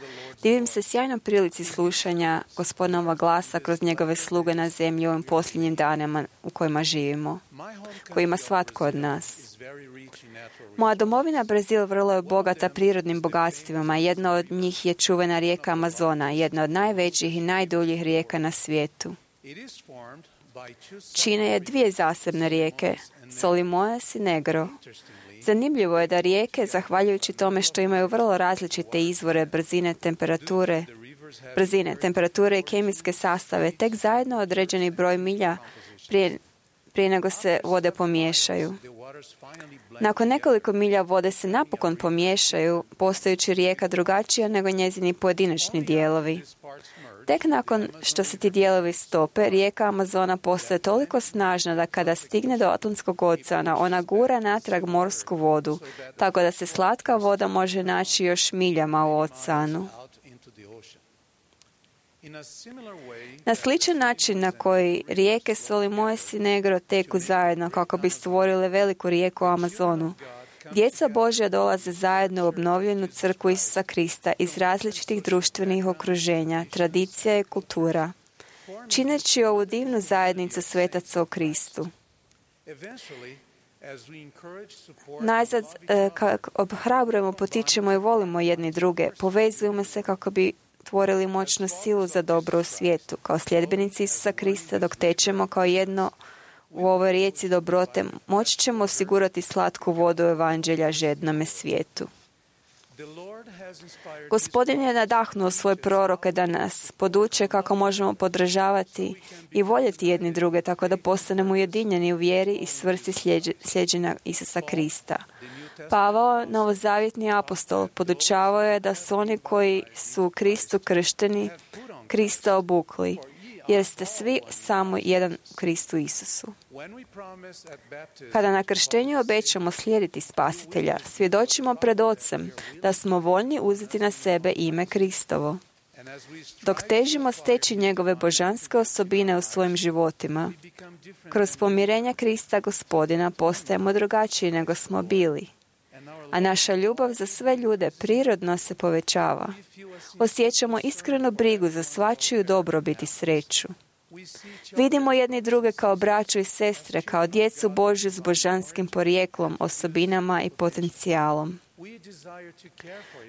Divim se sjajnoj prilici slušanja Gospodinova glasa kroz njegove sluge na zemlji u ovim posljednjim danima u kojima živimo, koji ima svatko od nas. Moja domovina Brazil vrlo je bogata prirodnim bogatstvima. Jedna od njih je čuvena rijeka Amazona, jedna od najvećih i najduljih rijeka na svijetu. Čine je dvije zasebne rijeke, Solimões i Negro. Zanimljivo je da rijeke, zahvaljujući tome što imaju vrlo različite izvore brzine, temperature i kemijske sastave, tek zajedno određeni broj milja prije nego se vode pomiješaju. Nakon nekoliko milja vode se napokon pomiješaju, postajući rijeka drugačija nego njezini pojedinačni dijelovi. Tek nakon što se ti dijelovi stope, rijeka Amazona postaje toliko snažna da kada stigne do Atlantskog oceana, ona gura natrag morsku vodu, tako da se slatka voda može naći još miljama u oceanu. Na sličan način na koji rijeke Solimões i Negro teku zajedno kako bi stvorile veliku rijeku Amazonu, djeca Božja dolaze zajedno u obnovljenu crkvu Isusa Krista iz različitih društvenih okruženja, tradicija i kultura, čineći ovu divnu zajednicu svetaca u Kristu. Najzad, kako obhrabrujemo, potičemo i volimo jedni druge, povezujemo se kako bi tvorili moćnu silu za dobro u svijetu. Kao sljedbenici Isusa Krista, dok tečemo kao jedno u ovoj rijeci dobrote, moći ćemo osigurati slatku vodu evanđelja žednome svijetu. Gospodin je nadahnuo svoje proroke da nas poduče kako možemo podržavati i voljeti jedni druge, tako da postanemo ujedinjeni u vjeri i svrsi sljeđenja Isusa Krista. Pavao, novozavjetni apostol, podučavao je da su oni koji su u Kristu kršteni, Krista obukli. jer ste svi samo jedan u Kristu Isusu. Kada na krštenju obećamo slijediti Spasitelja, svjedočimo pred Ocem da smo voljni uzeti na sebe ime Kristovo. Dok težimo steći njegove božanske osobine u svojim životima, kroz pomirenja Krista Gospodina postajemo drugačiji nego smo bili, a naša ljubav za sve ljude prirodno se povećava. Osjećamo iskrenu brigu za svačiju dobrobit i sreću. Vidimo jedni druge kao braću i sestre, kao djecu Božju s božanskim porijeklom, osobinama i potencijalom.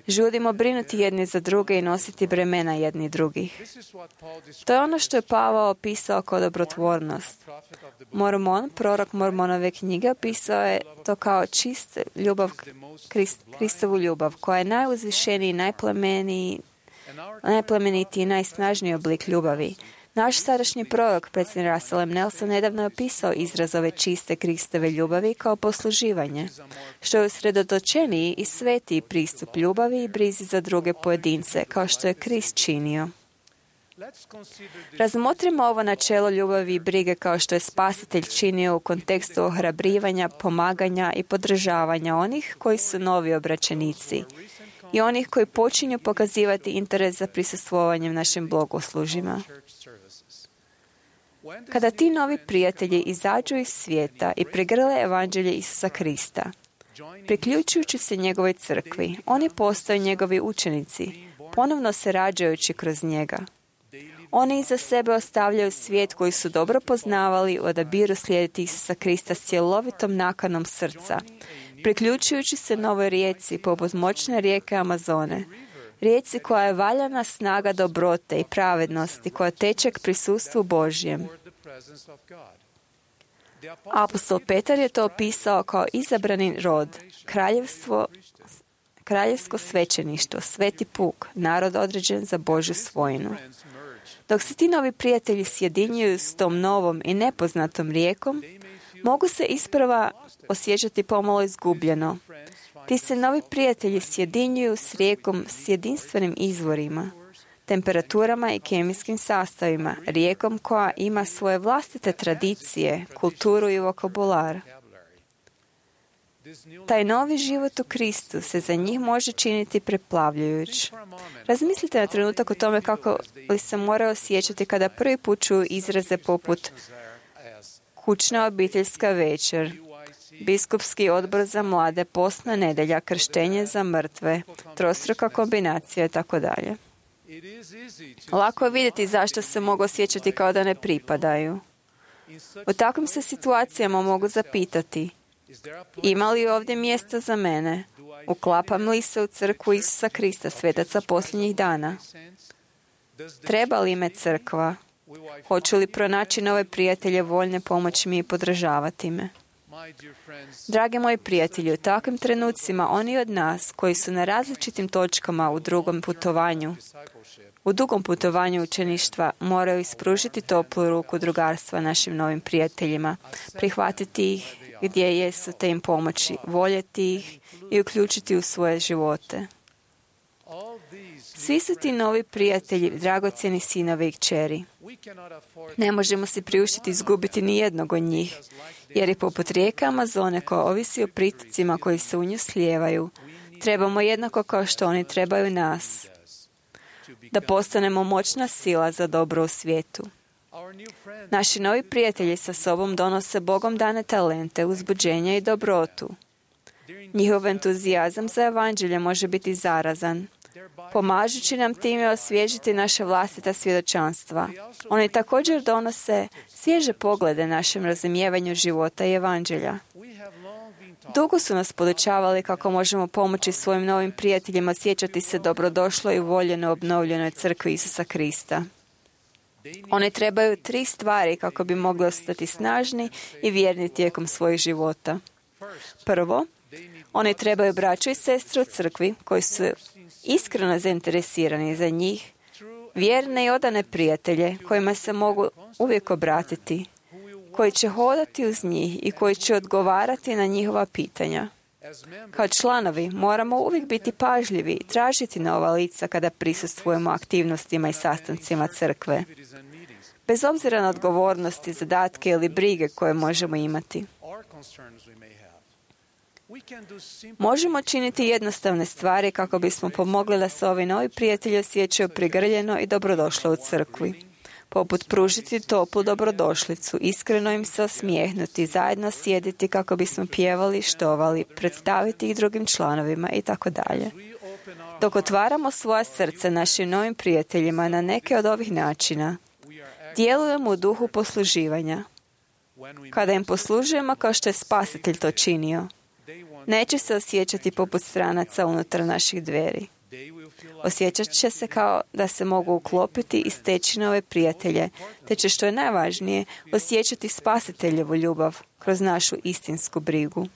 Žudimo brinuti jedni za druge i nositi bremena jedni drugih. To je ono što je Pavao opisao kao dobrotvornost. Mormon, prorok Mormonove knjige, opisao je to kao čist ljubav, Kristovu ljubav, koja je najuzvišeniji, najplemenitiji i najsnažniji oblik ljubavi. Naš sadašnji prorok, predsjednik Russell M. Nelson, nedavno je opisao izraz ove čiste Kristove ljubavi kao posluživanje, što je usredotočeniji i svetiji pristup ljubavi i brizi za druge pojedince, kao što je Krist činio. Razmotrimo ovo načelo ljubavi i brige kao što je Spasitelj činio u kontekstu ohrabrivanja, pomaganja i podržavanja onih koji su novi obraćenici i onih koji počinju pokazivati interes za prisustvovanjem našim blagoslužjima. Kada ti novi prijatelji izađu iz svijeta i pregrle evanđelje Isusa Krista, priključujući se njegovoj crkvi, oni postaju njegovi učenici, ponovno se rađajući kroz njega. Oni iza sebe ostavljaju svijet koji su dobro poznavali i odabiru slijediti Isusa Krista s cjelovitom nakanom srca, priključujući se novoj rijeci poput moćne rijeke Amazone, rijeci koja je valjana snaga dobrote i pravednosti koja teče k prisustvu Božjem. Apostol Petar je to opisao kao izabrani rod, kraljevsko svećeništvo, sveti puk, narod određen za Božju svojinu. Dok se ti novi prijatelji sjedinjuju s tom novom i nepoznatom rijekom, mogu se isprva osjećati pomalo izgubljeno. Ti se novi prijatelji sjedinjuju s rijekom s jedinstvenim izvorima, temperaturama i kemijskim sastavima, rijekom koja ima svoje vlastite tradicije, kulturu i vokabular. Taj novi život u Kristu se za njih može činiti preplavljujuć. Razmislite na trenutak o tome kako li se moraju osjećati kada prvi put čuju izraze poput kućna obiteljska večer, biskupski odbor za mlade, postna nedjelja, krštenje za mrtve, trostruka kombinacija i tako dalje. Lako je vidjeti zašto se mogu osjećati kao da ne pripadaju. U takvim se situacijama mogu zapitati: ima li ovdje mjesta za mene? Uklapam li se u crkvu Isusa Krista, svetaca posljednjih dana? Treba li me crkva? Hoću li pronaći nove prijatelje voljne pomoći mi i podržavati me? Dragi moji prijatelji, u takvim trenucima oni od nas koji su na različitim točkama u dugom putovanju učeništva moraju ispružiti toplu ruku drugarstva našim novim prijateljima, prihvatiti ih gdje jesu te im pomoći, voljeti ih i uključiti u svoje živote. Svi su ti novi prijatelji, dragocjeni sinovi i kćeri. Ne možemo si priuštiti izgubiti ni jednog od njih, jer je poput rijeke Amazone koja ovisi o pritocima koji se u nju slijevaju, trebamo jednako kao što oni trebaju nas, da postanemo moćna sila za dobro u svijetu. Naši novi prijatelji sa sobom donose Bogom dane talente, uzbuđenje i dobrotu. Njihov entuzijazam za evanđelje može biti zarazan, pomažući nam time osvježiti naše vlastita svjedočanstva. Oni također donose svježe poglede našem razumijevanju života i evanđelja. Dugo su nas podučavali kako možemo pomoći svojim novim prijateljima osjećati se dobrodošlo i uvoljeno obnovljenoj crkvi Isusa Krista. Oni trebaju 3 stvari kako bi mogli ostati snažni i vjerni tijekom svojih života. Prvo, oni trebaju braću i sestre u crkvi koji su iskreno zainteresirani za njih, vjerne i odane prijatelje kojima se mogu uvijek obratiti, koji će hodati uz njih i koji će odgovarati na njihova pitanja. Kao članovi moramo uvijek biti pažljivi i tražiti nova lica kada prisustvujemo aktivnostima i sastancima crkve. bez obzira na odgovornosti, zadatke ili brige koje možemo imati. Možemo činiti jednostavne stvari kako bismo pomogli da se ovi novi prijatelji osjećaju prigrljeno i dobrodošli u crkvi. Poput pružiti toplu dobrodošlicu, iskreno im se osmijehnuti, zajedno sjediti kako bismo pjevali, štovali, predstaviti ih drugim članovima itd. Dok otvaramo svoja srca našim novim prijateljima na neke od ovih načina, djelujemo u duhu posluživanja. Kada im poslužujemo kao što je Spasitelj to činio, neće se osjećati poput stranaca unutar naših dveri. Osjećat će se kao da se mogu uklopiti i steći nove prijatelje, te će, što je najvažnije, osjećati Spasiteljevu ljubav kroz našu istinsku brigu.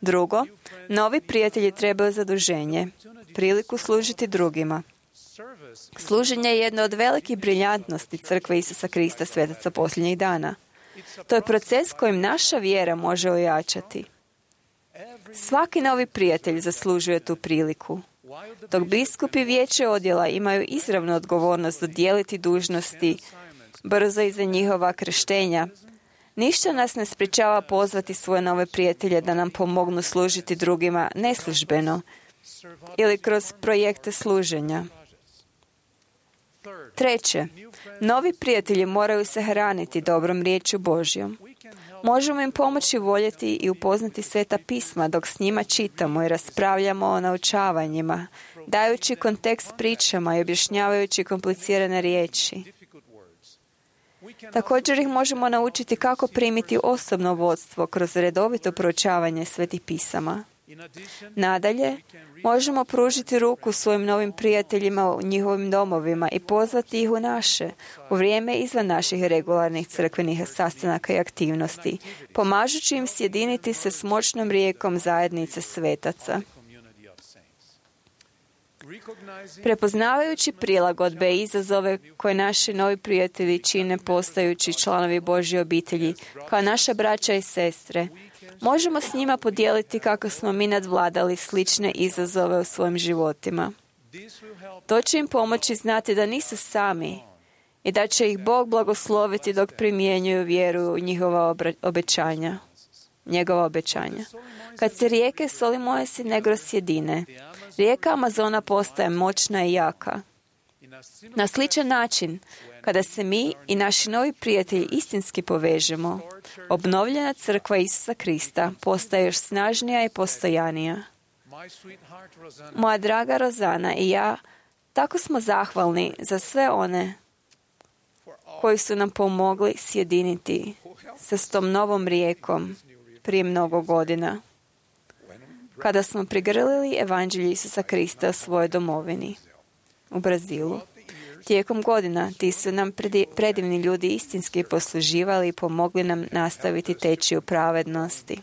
Drugo, novi prijatelji trebaju zaduženje, priliku služiti drugima. Služenje je jedno od velikih briljantnosti Crkve Isusa Krista svetaca posljednjih dana. To je proces kojim naša vjera može ojačati. Svaki novi prijatelj zaslužuje tu priliku. Dok biskupi vijeće odjela imaju izravnu odgovornost dodijeliti dužnosti brzo iza njihova krštenja, ništa nas ne sprječava pozvati svoje nove prijatelje da nam pomognu služiti drugima neslužbeno ili kroz projekte služenja. Treće, novi prijatelji moraju se hraniti dobrom riječju Božjom. Možemo im pomoći voljeti i upoznati Sveta pisma dok s njima čitamo i raspravljamo o naučavanjima, dajući kontekst pričama i objašnjavajući komplicirane riječi. Također ih možemo naučiti kako primiti osobno vodstvo kroz redovito proučavanje Svetih pisama. Nadalje, možemo pružiti ruku svojim novim prijateljima u njihovim domovima i pozvati ih u naše, u vrijeme izvan naših regularnih crkvenih sastanaka i aktivnosti, pomažući im sjediniti se s moćnom rijekom zajednice svetaca. Prepoznavajući prilagodbe i izazove koje naši novi prijatelji čine postajući članovi Božje obitelji, kao naša braća i sestre, možemo s njima podijeliti kako smo mi nadvladali slične izazove u svojim životima. To će im pomoći znati da nisu sami i da će ih Bog blagosloviti dok primjenjuju vjeru u njegova obećanja. Kad se rijeke Solimoes i Negros sjedine, rijeka Amazona postaje moćna i jaka. Na sličan način, kada se mi i naši novi prijatelji istinski povežemo, obnovljena crkva Isusa Krista postaje još snažnija i postojanija. Moja draga Rozana i ja tako smo zahvalni za sve one koji su nam pomogli sjediniti se s tom novom rijekom prije mnogo godina, kada smo prigrlili evanđelje Isusa Krista u svojoj domovini, u Brazilu. Tijekom godina ti su nam predivni ljudi istinski posluživali i pomogli nam nastaviti teći u pravednosti.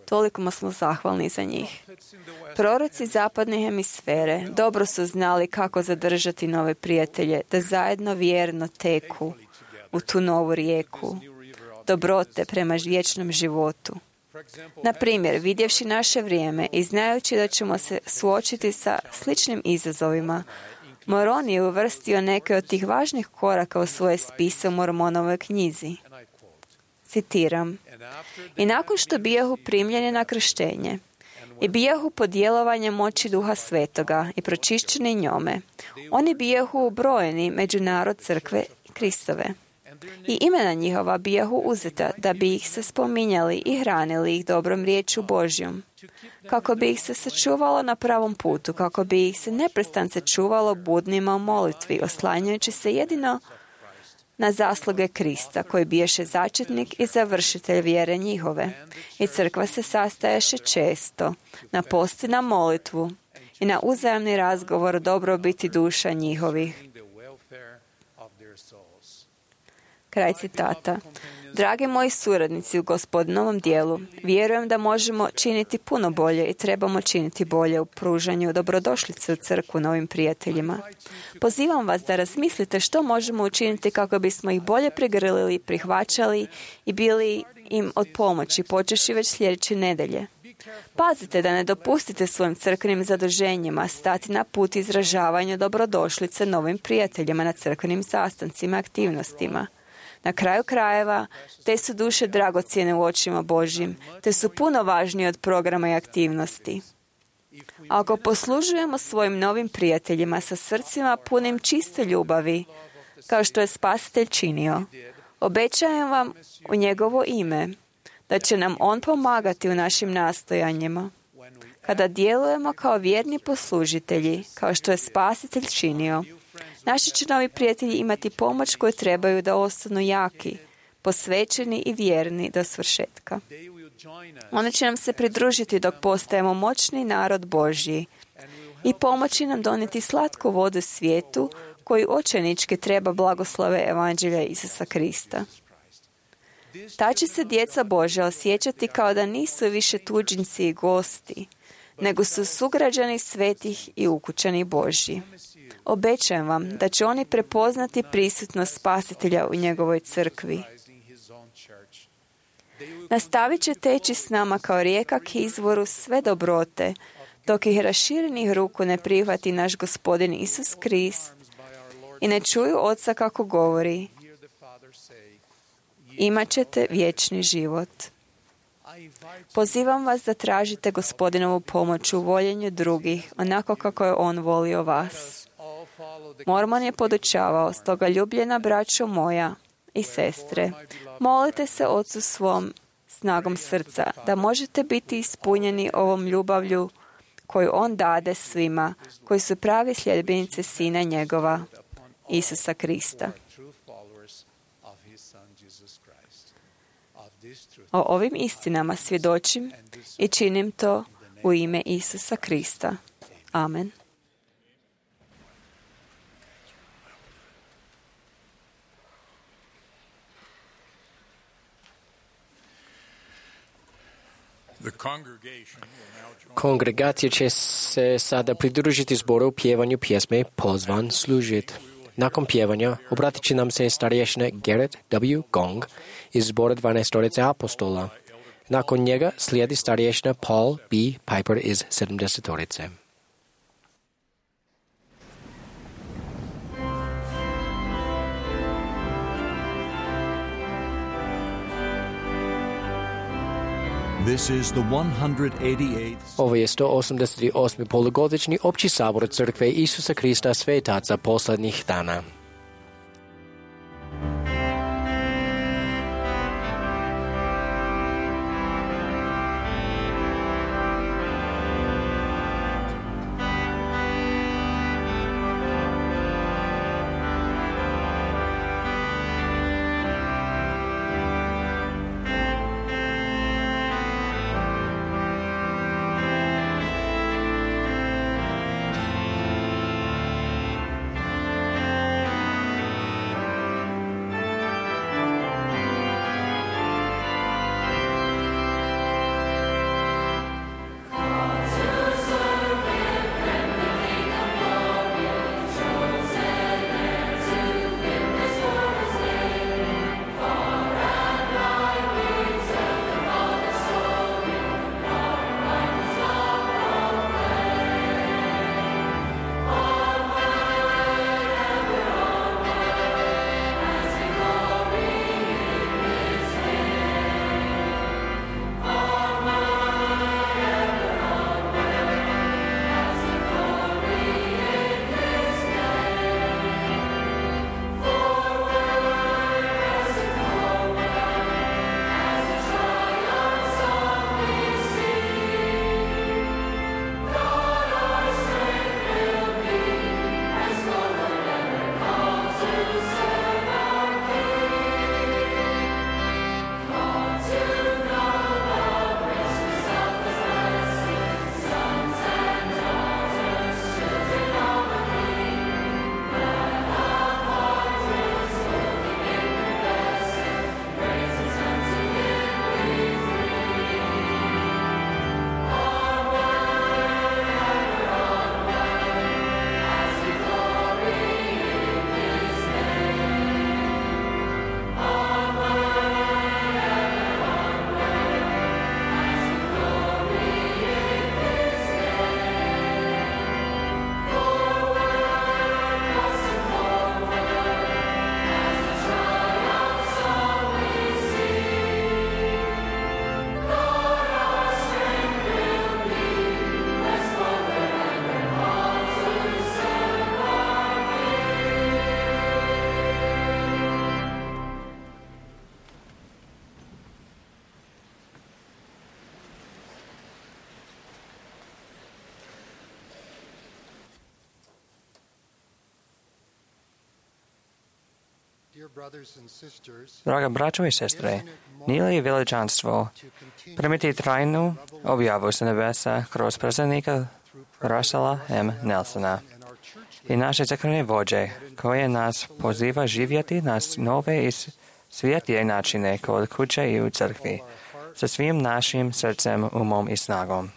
Toliko smo zahvalni za njih. Proroci zapadne hemisfere dobro su znali kako zadržati nove prijatelje, da zajedno vjerno teku u tu novu rijeku dobrote prema vječnom životu. Na primjer, vidjevši naše vrijeme i znajući da ćemo se suočiti sa sličnim izazovima, Moroni je uvrstio neke od tih važnih koraka u svoje spise u Mormonovoj knjizi. Citiram: "I nakon što bijahu primljeni na krštenje i bijahu pod djelovanjem moći Duha Svetoga i pročišćeni njome, oni bijahu ubrojeni među narod crkve Kristove. I imena njihova bijahu uzeta da bi ih se spominjali i hranili ih dobrom riječu Božjom, kako bi ih se sačuvalo na pravom putu, kako bi ih se neprestance čuvalo budnima u molitvi, oslanjajući se jedino na zasluge Krista, koji biješe začetnik i završitelj vjere njihove. I crkva se sastaješe često na post i na molitvu i na uzajamni razgovor o dobrobiti duša njihovih." Kraj citata. Dragi moji suradnici u Gospodinovom dijelu, vjerujem da možemo činiti puno bolje i trebamo činiti bolje u pružanju dobrodošlice u crkvu novim prijateljima. Pozivam vas da razmislite što možemo učiniti kako bismo ih bolje prigrlili, prihvaćali i bili im od pomoći, počevši već sljedeće nedjelje. Pazite da ne dopustite svojim crkvenim zaduženjima stati na put izražavanja dobrodošlice novim prijateljima na crkvenim sastancima i aktivnostima. Na kraju krajeva, te su duše dragocjene u očima Božjim, te su puno važnije od programa i aktivnosti. Ako poslužujemo svojim novim prijateljima sa srcima punim čiste ljubavi, kao što je Spasitelj činio, obećajem vam u njegovo ime da će nam on pomagati u našim nastojanjima. Kada djelujemo kao vjerni poslužitelji, kao što je Spasitelj činio, naši će novi prijatelji imati pomoć koju trebaju da ostanu jaki, posvećeni i vjerni do svršetka. Oni će nam se pridružiti dok postajemo moćni narod Božji i pomoći nam donijeti slatku vodu svijetu koji očajnički treba blagoslove evanđelja Isusa Krista. Ta će se djeca Božja osjećati kao da nisu više tuđinci i gosti, nego su sugrađani svetih i ukućani Božji. Obećajem vam da će oni prepoznati prisutnost Spasitelja u njegovoj crkvi. Nastavit će teći s nama kao rijeka k izvoru sve dobrote, dok ih raširenih ruku ne prihvati naš Gospodin Isus Krist i ne čuju Oca kako govori: imat ćete vječni život. Pozivam vas da tražite Gospodinovu pomoć u voljenju drugih, onako kako je On volio vas. Mormon je podučavao: stoga ljubljena braćo moja i sestre, molite se Ocu svom snagom srca, da možete biti ispunjeni ovom ljubavlju koju On dade svima koji su pravi sljedbenici Sina njegova, Isusa Krista. O ovim istinama svjedočim i činim to u ime Isusa Krista. Amen. Kongregacija će se sada pridružiti zboru u pjevanju pjesme Pozvan služit. Nakon pjevanja obratit će nam se starješina Garrett W. Gong iz zbora 12 apostola. Nakon njega slijedi starješina Paul B. Piper iz 70. This is the 188th. Ovo je 188. polugodišnji opći sabor Crkve Isusa Krista svetaca posljednjih dana. Draga braćo i sestre, nije li veličanstvo primiti trajnu objavu sa nebesa kroz predsjednika Russella M. Nelsona i naše crkvene vođe, koje nas poziva živjeti na nove i svjetije načine kod kuće i u crkvi, sa svim našim srcem, umom i snagom.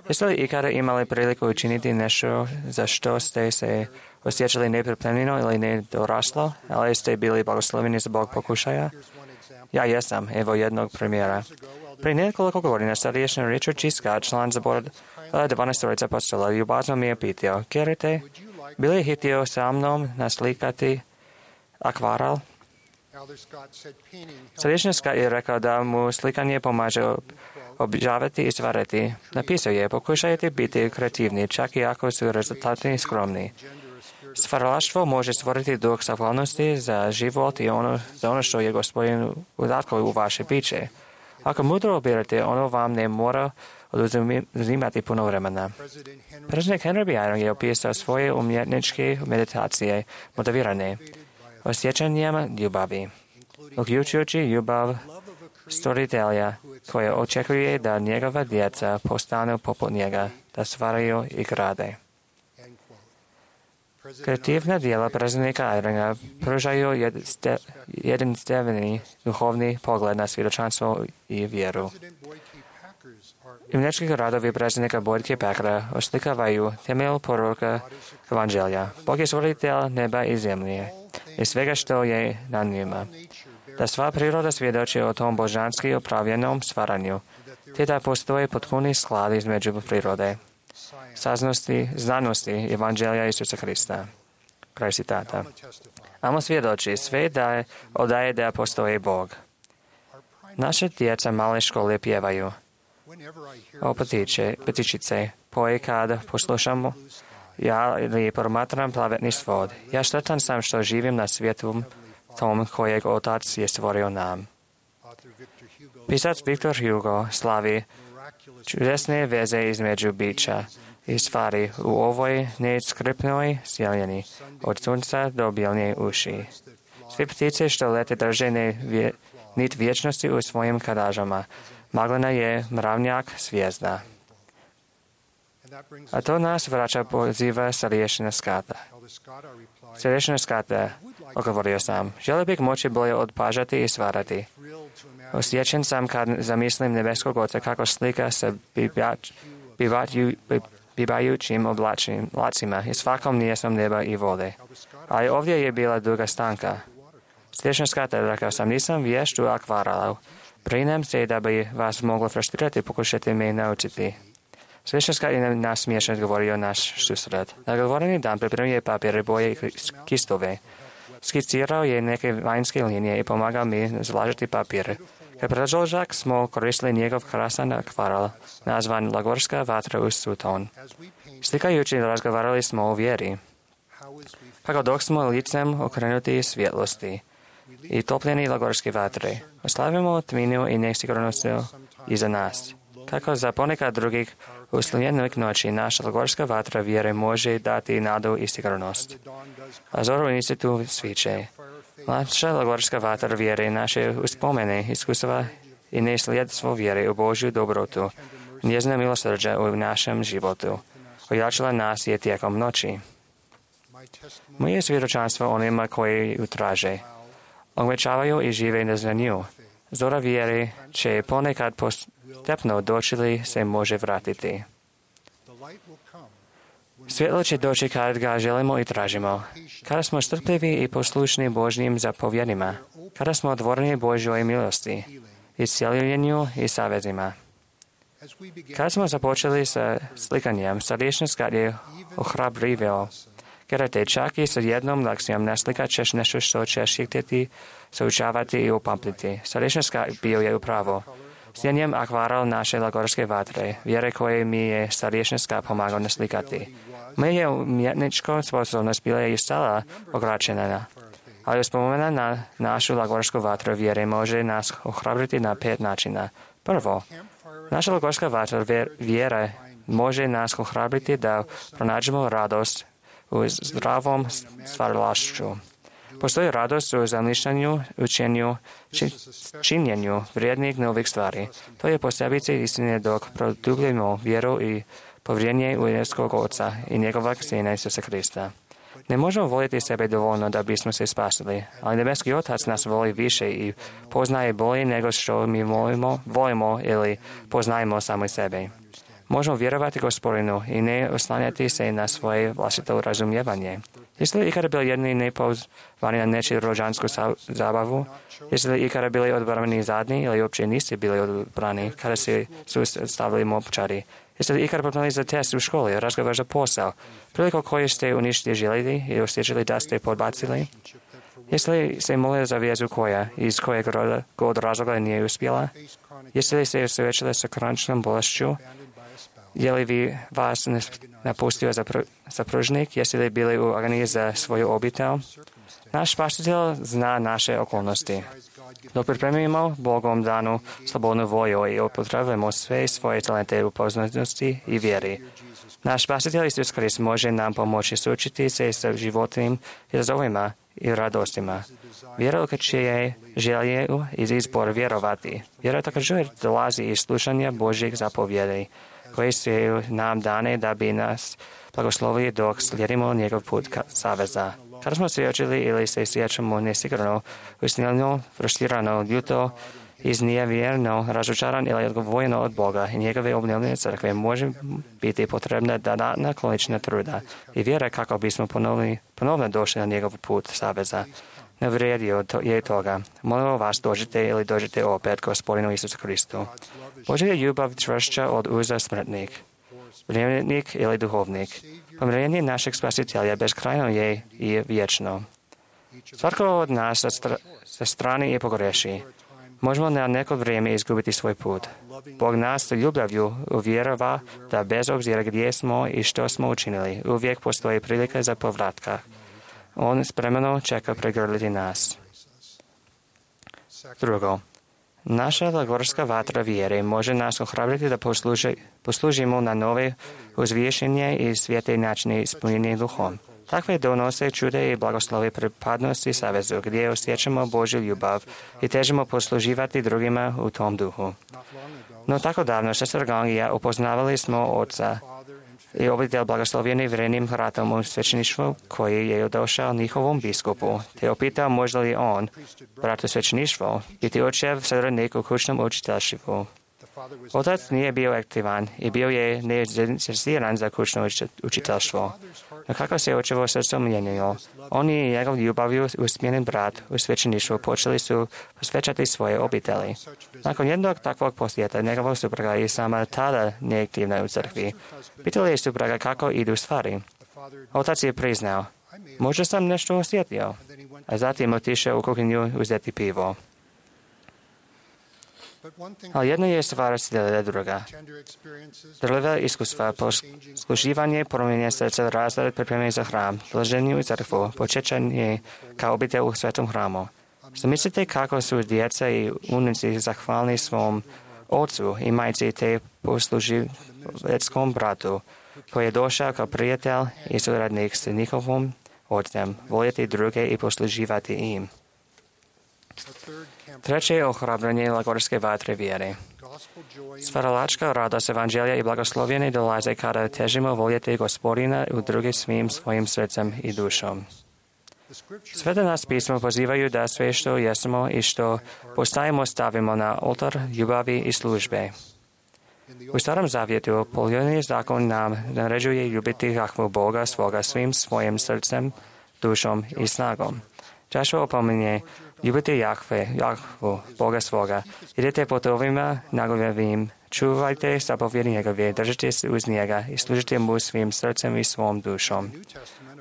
Jeste li ikada imali priliku učiniti nešto za što ste se osjećali nepripremljeno ili nedoraslo, ali ste bili blagosloveni zbog pokušaja? Ja jesam, evo jednog primjera. Prije nekoliko godina starješni Richard G. Scott, član zbora 12 apostola, ljubazno mi je pitao, Kerite, bi li htio sa mnom naslikati akvarel? Starješni Scott je rekao da mu slikanje pomaže obžavati i stvarati. Napisao je, pokušajte biti kreativni, čak i ako su rezultati skromni. Stvaralaštvo može stvoriti duh zahvalnosti za život i za ono što je Gospodin udatkao u vaše biće. Ako mudro obirate, ono vam ne mora oduzimati puno vremena. Predsjednik Henry B. Eyring je opisao svoje umjetničke meditacije motivirane osjećanjem ljubavi, uključujući ljubav stvoritelja koje očekuje da njegova djeca postanu poput njega, da stvaraju i grade. Kreativna djela predsjednika Eyringa pružaju jedinstveni duhovni pogled na svjedočanstvo i vjeru. Umjetnički radovi predsjednika Boyd K. Packera oslikavaju temelj poruka Evanđelja. Bog je stvoritelj neba i zemlje i svega što je na njima. Da sva priroda svjedoči o tom božanski upravljenom stvaranju, te da postoje potpuni sklad između prirode, znanosti Evanđelja Isusa Krista. Kraj citata. Amo svjedoči sve da odaje da postoji Bog. Naše djeca male škole pjevaju o petičice, poje kad poslušamo ja ili promatram plavetni svod. Ja sretan sam što živim na svijetu tom kojeg Otac je stvorio nam. Pisac Victor Hugo slavi čudesne veze između bića i stvari u ovoj neskripnoj sjelini, od sunca do bijelnje uši. Sve ptice što lete drže nit vječnosti u svojim kadažama. Maglina je mravnjak zvijezda. A to nas vraća poziva starješina Scotta. Starješina Scotta, odgovorio sam, želio bih moći bolje odpažati i stvarati. Osjećan sam kad zamislim nebeskog Oca kako slika sa bivajućim oblacima i svakom nijesom neba i vode. Ali ovdje je bila duga stanka. Starješina Scotta, rekao sam, nisam vješt u akvarelu. Brinem se da bi vas moglo frustrirati, pokušati me naučiti. Starješina Scott je nasmiješno govorio naš susret. Na govoreni dan pripremio je papire, boje i kistove. Skicirao je neke vanjske linije i pomagao mi zlažiti papire. Kao predložak smo koristili njegov krasan akvarel, nazvan Lagorska vatra uz Sutton. Slikajući razgovarali smo o vjeri. Kako dok smo licem okrenuti svjetlosti i topljeni Lagorske vatre, oslavimo tminu i nesigurnost iza nas. Kako za ponekad drugih usljedenih noći naša Lagorska vatra vjere može dati nadu i sigurnost. A zoru institu sviće. Naša Lagorska vatra vjere naše uspomene, iskustva i nesljedstvo vjere u Božju dobrotu, njezina milosrđa u našem životu. Ojačala nas je tijekom noći. Moje svjedočanstvo onima koji ju traže. Obećavaju i žive na nju. Zora vjere će ponekad postepno doći li se može vratiti. Svjetlo će doći kad ga želimo i tražimo. Kada smo strpljivi i poslušni Božjim zapovjedima. Kada smo otvoreni Božjoj milosti, isceljenju i savezima. Kada smo započeli sa slikanjem, starješina Scott je ohrabrivio. Kerate, čak i sa jednom lekcijom naslikat ćeš nešto što ćeš htjeti saučavati i upamtiti. Starješina Scott bio je upravo. Sjenjem akvarel naše Lagorske vatre, vjere koje mi je starješina Scott pomagao naslikati. Moje umjetničko sposobnost bila je stala ograničena, ali uspomena na našu Lagorsku vatru vjere može nas ohrabriti na 5 načina. Prvo, naša Lagorska vatra vjere može nas ohrabriti da pronađemo radost u zdravom stvaralaštvu. Postoji radost u zamišljanju, učenju, činjenju vrijednih novih stvari. To je posebice istine dok produbljujemo vjeru i povjerenje u jedinskog Oca i njegovog Sina Isusa Krista. Ne možemo voljeti sebe dovoljno da bismo se spasili, ali nebeski Otac nas voli više i poznaje bolje nego što mi volimo ili poznajemo sami sebe. Možemo vjerovati Gospodinu i ne oslanjati se na svoje vlastito razumijevanje. Jeste li ikada bili jedni nepozvani na nečiju rođansku zabavu? Jeste li ikada bili odbrani zadnji ili uopće niste bili odbrani kada su stavili mopčari? Jeste li ikada pripremili za test u školi, razgovor za posao, priliku koju ste uništili željeli i osjećali da ste podbacili? Jeste li se molili za vezu koja, iz kojeg god razloga nije uspjela? Jeste li se suočili sa kroničnom bolešću? Je li vas napustio supružnik? Jeste li bili u agoniji za svoju obitelj? Naš spasitelj zna naše okolnosti. Dok pripremimo Bogom danu slobodnu volju i upotrebujemo sve svoje talente u poznanosti i vjeri. Naš spasitelj Isus Krist može nam pomoći suočiti se sa životnim izazovima i radostima. Vjera je želje iz izbor vjerovati. Vjera također dolazi iz slušanja Božjih zapovjedi, koje su nam dane da bi nas blagoslovili dok slijedimo njegov put saveza. Kada smo svjedočili ili se sjećamo nesigurno, usnjeno, frustrirano, ljuto, iznevjerno, razočaran ili odgovoreno od Boga i njegove obnovljene crkve može biti potrebna dodatna količina truda i vjera kako bismo ponovno došli na njegov put saveza. Ne vrijedio je toga. Molimo vas dođite ili dođite opet Gospodinu Isusu Kristu. Božja je ljubav čvršća od uza smrtnik, vjernik ili duhovnik. Pomirenje našeg spasitelja bezkrajno je i vječno. Svatko od nas sa strane je pogreši. Možemo na neko vrijeme izgubiti svoj put. Bog nas ljubavlju uvjerava da bez obzira gdje smo i što smo učinili, uvijek postoji prilika za povratka. On spremno čeka pregrliti nas. Drugo, naša gorska vatra vjere može nas ohrabriti da poslužimo na nove uzvišenje i svijete načine ispunjenje duhom. Takve donose čude i blagoslove pripadnosti savezu, gdje osjećamo Božju ljubav i težimo posluživati drugima u tom duhu. No tako davno, sestra Gang i ja upoznavali smo Oca i obitelj blagoslovljeni vrenim ratom u svećeništvu koji je došao njihovom biskupu, te opitao može li on, brat u svećeništvu, biti očev srednik u kućnom učiteljstvu. Otac nije bio aktivan i bio je nezainteresiran za kućno učiteljstvo. No kako se očevo srce mijenjalo, on i njegov ljubavlju usmjeren brat u svećeništvu počeli su posvećati svoje obitelji. Nakon jednog takvog posjeta njegova supruga i sama tada neaktivna u crkvi, pitali je supruga kako idu stvari. Otac je priznao, možda sam nešto osjetio, a zatim otišao u kuhinju uzeti pivo. Ali jedno je stvar slijedila druga. Drljiva iskustva, posluživanje, promijenje srca, razred, pripremanje za hram, dolaženje u crkvu, počećanje kao obitelj u svetom hramu. Zamislite kako su djeca i unuci zahvalni svom ocu i majci te posluživeckom bratu, koji je došao kao prijatelj i suradnik s njihovom ocem, voljeti druge i posluživati im. Treće je ohrabranje gorske vatre vjere. Stvaralačka radost evanđelja i blagoslovljeni dolaze kada težimo voljeti Gospodina u druge svim svojim srcem i dušom. Sveta nas pismo pozivaju da sve što jesmo i što postajemo stavimo na oltar ljubavi i službe. U Starom Zavjetu poljudni zakon nam naređuje ljubiti Jahvu Boga svoga svim svojim srcem, dušom i snagom. Joshua opominje, ljubite Jahvu, Boga svoga, idete putovima njegovim, čuvajte zapovjedi njegove, držite se uz njega i služite mu svim srcem i svom dušom.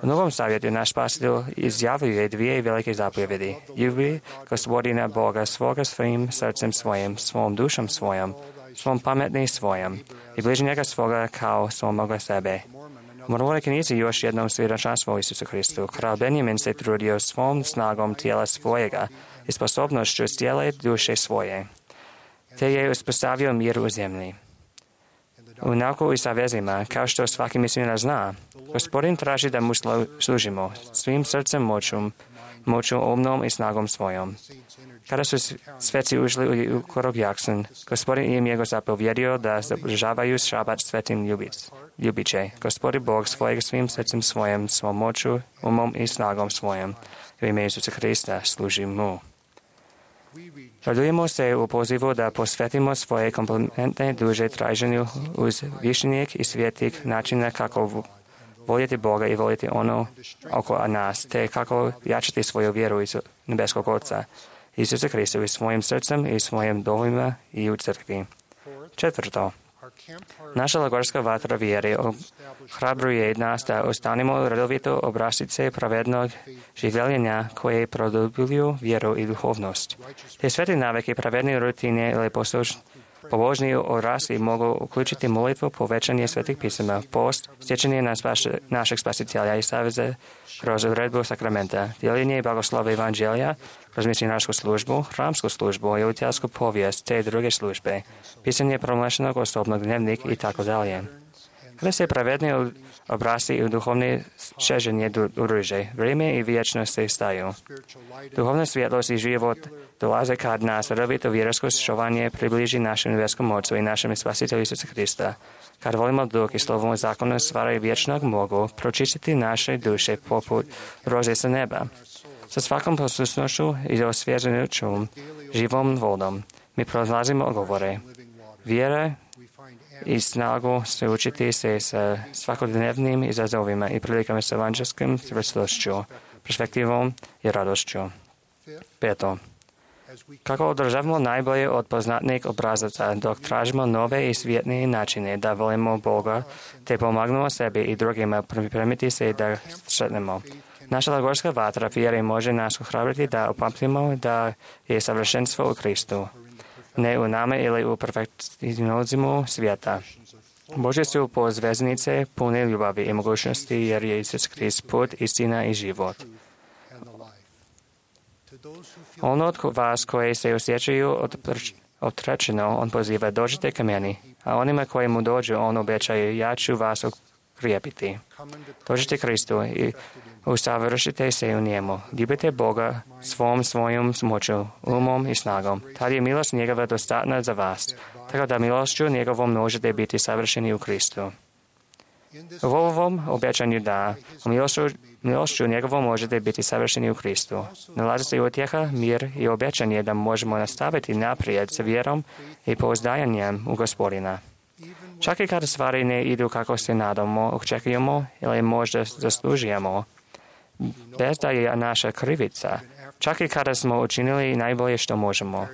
U Novom Zavjetu naš spasitelj izjavljuje dvije velike zapovjedi. Ljubi Gospodina Boga svoga svim srcem svojim, svom dušom svojom, svom pametni svojom i bližnjega svoga kao svomoga sebe. U Mormonoj knjizi još jednom svjedočanstvo Isusu Kristu. Kralj Benjamin se trudio svom snagom tijela svojega i sposobnošću cijele duše svoje, te je uspostavio mir u zemlji. U nauku i savezima, kao što svaki misionar zna, Gospodin traži da mu služimo svim srcem, moćom moću umnom i snagom svojom. Kada su sveci ušli u Korog Jakson, Gospodin im je zapovjedio da zadržavaju šabat svetim ljubiće. Gospodin Bog svojeg svim srcem svojim, svom moću, umom i snagom svojom. U ime Isusa Krista služi mu. Radujemo se u pozivu da posvetimo svoje komplementne duže traženju uz višnjeg i svijetih načina kako voljeti Boga i voljeti ono oko nas, te kako jačati svoju vjeru iz nebeskog Oca, Isusa Krista, i svojim srcem i svojim domovima i u crkvi. Četvrto, naša lagorska vatra vjere ohrabruje nas da ostanemo redovito obrascice pravednog življenja koje produbljuju vjeru i duhovnost. Te sveti navike pravedne rutine ili pobožni odrasli mogu uključiti molitvu, povećanje svetih pisama, post, stječenje našeg spasitelja i saveze kroz odredbu sakramenta, dijeljenje i blagoslova evanđelja, kroz misionarsku službu, hramsku službu i udjelsku povijest te druge službe, pisanje promlešenog osobnog dnevnik i tako dalje. Kada se pravedni obrasci i duhovne šeženje udruže, vrijeme i vječnost se staju. Duhovna svjetlost i život dolaze kad nas redovito vjersko šovanje približi našem nebeskom Ocu i našem Spasitelju Isusa Krista. Kad volimo duh i slovom zakona stvari vječnog mogu pročistiti naše duše poput rože sa neba. Sa svakom poslušnošću i osvježenjućom živom vodom mi prolazimo govore. Vjera i snagu se učiti se sa svakodnevnim izazovima i prilikama s evanđelskom čvrstošću, perspektivom i radošću. Peto. Kako održavamo najbolje od poznatnih obrazaca dok tražimo nove i svjetnije načine da volimo Boga te pomagamo sebi i drugima pripremiti se da sretnemo. Naša lagorska vatra vjere može nas ohrabriti da upamtimo da je savršenstvo u Kristu, ne u nama ili u perfekcionizmu svijeta. Božje su pozveznice pune ljubavi i mogućnosti jer je Isus Krist put, istina i život. Ono od vas koji se osjećaju otrečeno, on poziva dođite ka meni, a onima koji mu dođu, on obećaje ja ću vas okrijepiti. Dođite Kristu i usavršite se u njemu. Ljubite Boga svojom moću, umom i snagom. Tad je milost njegova dostatna za vas, tako da milošću njegovom možete biti savršeni u Kristu. U ovom obećanju da milošću njegovom možete biti savršeni u Kristu. Nalazi se utjeha, mir i obećanje da možemo nastaviti naprijed sa vjerom i pouzdajanjem u Gospodina. Čak i kada stvari ne idu kako se nadamo, očekujemo ili možda zaslužujemo, bez da je naša krivica, čak i kada smo učinili najbolje što možemo.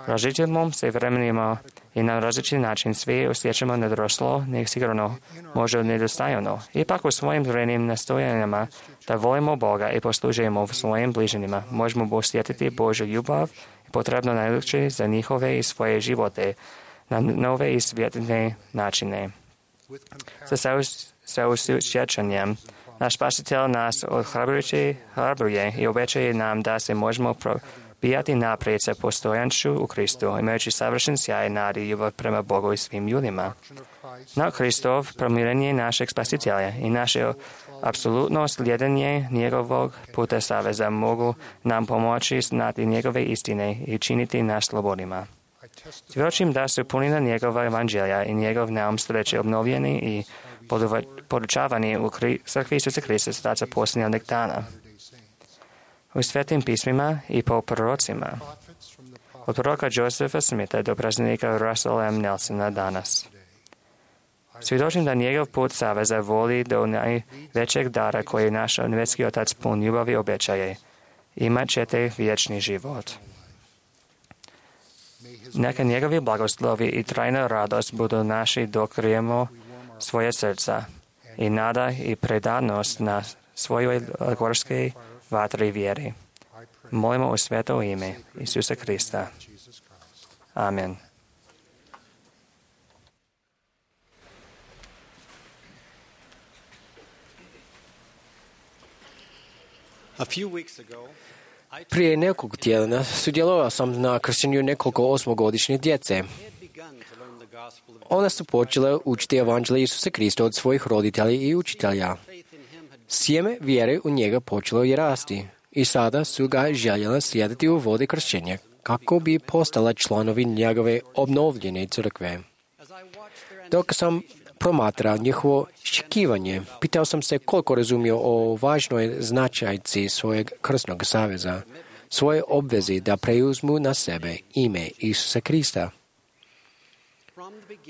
Različitim se vremenima i na različit način svi osjećamo nedoroslo, nesigurno, možda nedostajano. Ipak u svojim vremenim nastojanjima da volimo Boga i poslužujemo svojim bližnjima, možemo osjetiti Božju ljubav i potrebno najljepše za njihove i svoje živote na nove i svjetne načine. Sa osjećanjem naš Spasitelj nas ohrabruje i obećaje nam da se možemo probijati naprijed sa postojanšću u Kristu, imajući savršen sjaj nade i ljubav prema Bogu i svim ljudima. Na Kristov promirenje našeg Spasitelja i naše apsolutno slijedanje njegovog puta saveza mogu nam pomoći znati njegove istine i činiti nas slobodnima. Svjedočim da su punina njegova evanđelja i njegov naum sreće obnovljeni i podučavani u crkvi Isusa Krista starca posljednjeg dana. U svetim pismima i po prorocima. Od proroka Josefa Smitha do praznika Russella M. Nelsona danas. Svjedočim da njegov put saveza voli do najvećeg dara koji naš nebeski Otac pun ljubavi obećaje. Imat ćete vječni život. Neka njegovi blagoslovi i trajna radost budu naši dok krijemo svoje srca i nada i predanost na svojoj lagorskoj vatri vjeri. Molimo u sveto ime Isusa Krista. Amen. Prije nekoliko tjedana sudjelovao sam na kršenju nekoliko osmogodišnje djece. One su počele učiti evanđelje Isusa Krista od svojih roditelja i učitelja. Sjeme vjere u njega počelo je rasti i sada su ga željela slijediti u vodi kršćenja, kako bi postala članovi njegove obnovljene crkve. Dok sam promatrao njihovo iščekivanje, pitao sam se koliko razumio o važnoj značajci svojeg krsnog saveza, svoje obvezi da preuzmu na sebe ime Isusa Krista.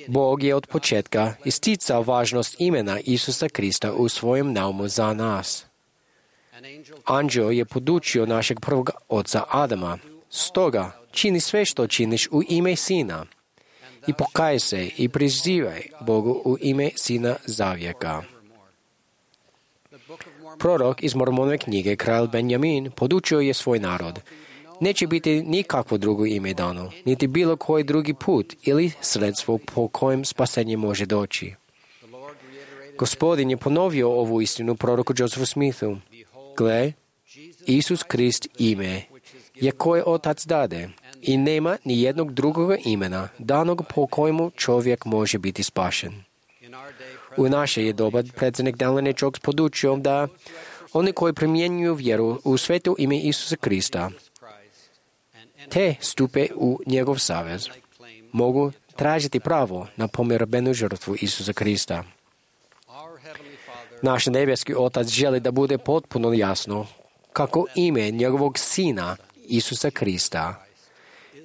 Bog je od početka isticao važnost imena Isusa Krista u svojem naumu za nas. Anđeo je podučio našeg prvog oca Adama. Stoga, čini sve što činiš u ime Sina i pokaj se i prizivaj Bogu u ime Sina zavijeka. Prorok iz Mormonove knjige, kralj Benjamin, podučio je svoj narod. Neće biti nikakvo drugo ime dano, niti bilo koji drugi put ili sredstvo po kojem spasenje može doći. Gospodin je ponovio ovu istinu proroku Josephu Smithu. Gle, Isus Krist ime je koje Otac dade i nema ni jednog drugog imena danog po kojemu čovjek može biti spašen. U naše je doba predsjednik Dallin H. Oaks podučio da oni koji primjenjuju vjeru u sveto ime Isusa Krista te stupe u njegov savez, mogu tražiti pravo na pomirabenu žrtvu Isusa Krista. Naš nebeski Otac želi da bude potpuno jasno kako ime njegovog Sina Isusa Krista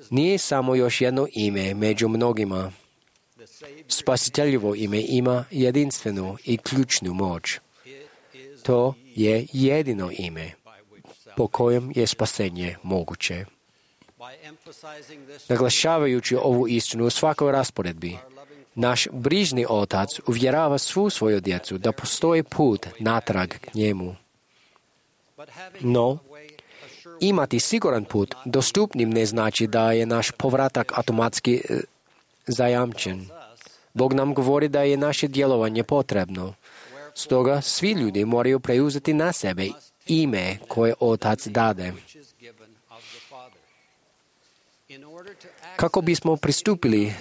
nije samo još jedno ime među mnogima. Spasiteljevo ime ima jedinstvenu i ključnu moć. To je jedino ime po kojem je spasenje moguće. Naglašavajući ovu istinu u svakoj rasporedbi, naš brižni Otac uvjerava svu svoju djecu da postoji put natrag k njemu. No, imati siguran put dostupnim ne znači da je naš povratak automatski zajamčen. Bog nam govori da je naše djelovanje potrebno. Stoga svi ljudi moraju preuzeti na sebe ime koje Otac dade. Kako bismo pristupili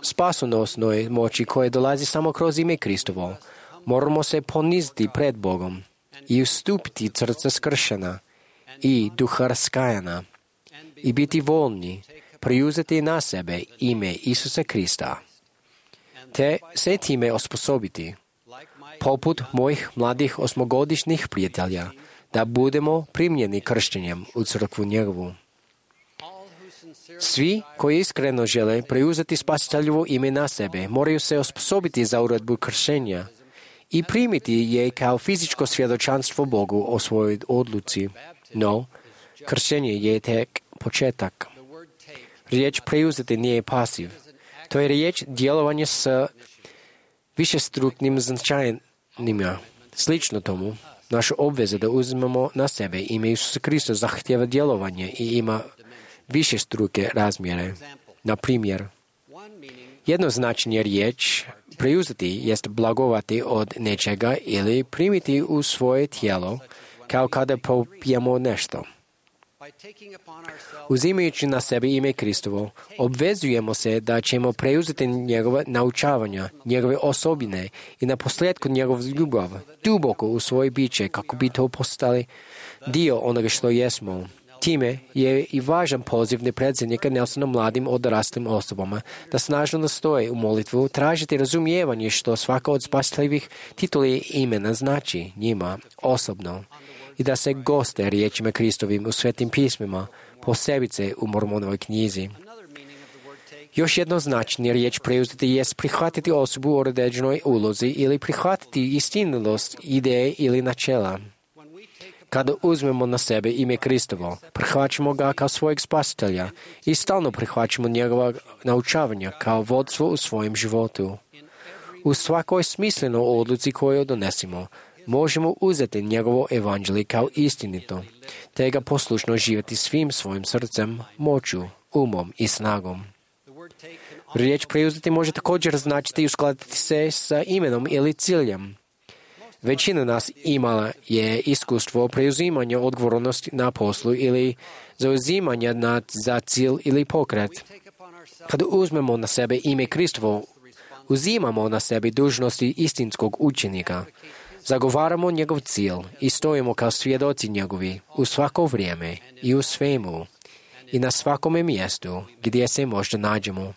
spasonosnoj moći koje dolazi samo kroz ime Kristovo, moramo se poniziti pred Bogom i ustupiti srca skršena i duha raskajana i biti voljni preuzeti na sebe ime Isusa Krista, te se time osposobiti, poput mojih mladih 8-godišnjih prijatelja, da budemo primljeni kršćenjem u crkvu njegovu. Svi koji iskreno žele preuzeti spasiteljevo ime na sebe moraju se osposobiti za uredbu kršenja i primiti je kao fizičko svjedočanstvo Bogu o svojoj odluci. No, kršenje je tek početak. Riječ preuzeti nije pasiv. To je riječ djelovanja s višestruknim značajnima. Slično tomu, naša obveza da uzmemo na sebe ime Isusa Krista zahtjeva djelovanje i ima višestruke razmjere. Na primjer, jedno značenje riječ preuzeti jest blagovati od nečega ili primiti u svoje tijelo kao kada popijemo nešto. Uzimajući na sebe ime Kristovo, obvezujemo se da ćemo preuzeti njegove naučavanja, njegove osobine i na posljedku njegov ljubav duboko u svoje biće kako bi to postali dio onoga što jesmo. Time je i važan poziv predsjednika Nelsona mladim odraslim osobama da snažno nastoje u molitvu tražiti razumijevanje što svaka od spasiteljevih tituli imena znači njima osobno i da se goste riječima Kristovim u svetim pismima, posebice u Mormonovoj knjizi. Još jedno značenje riječ preuzeti jest prihvatiti osobu u određenoj ulozi ili prihvatiti istinitost ideje ili načela. Kada uzmemo na sebe ime Kristovo, prihvaćamo ga kao svojeg spasitelja i stalno prihvaćamo njegova naučavanja kao vodstvo u svojem životu. U svakoj smislenoj odluci koju donesimo, možemo uzeti njegovo evanđelje kao istinito, te ga poslušno živjeti svim svojim srcem, moću, umom i snagom. Riječ preuzeti može također značiti uskladiti se sa imenom ili ciljem. Većina nas imala je iskustvo preuzimanja odgovornosti na poslu ili zauzimanja za cilj ili pokret. Kada uzmemo na sebe ime Kristovo, uzimamo na sebe dužnosti istinskog učenika. Zagovaramo njegov cilj i stojimo kao svjedoci njegovi u svako vrijeme i u svemu i na svakome mjestu gdje se možda nađemo.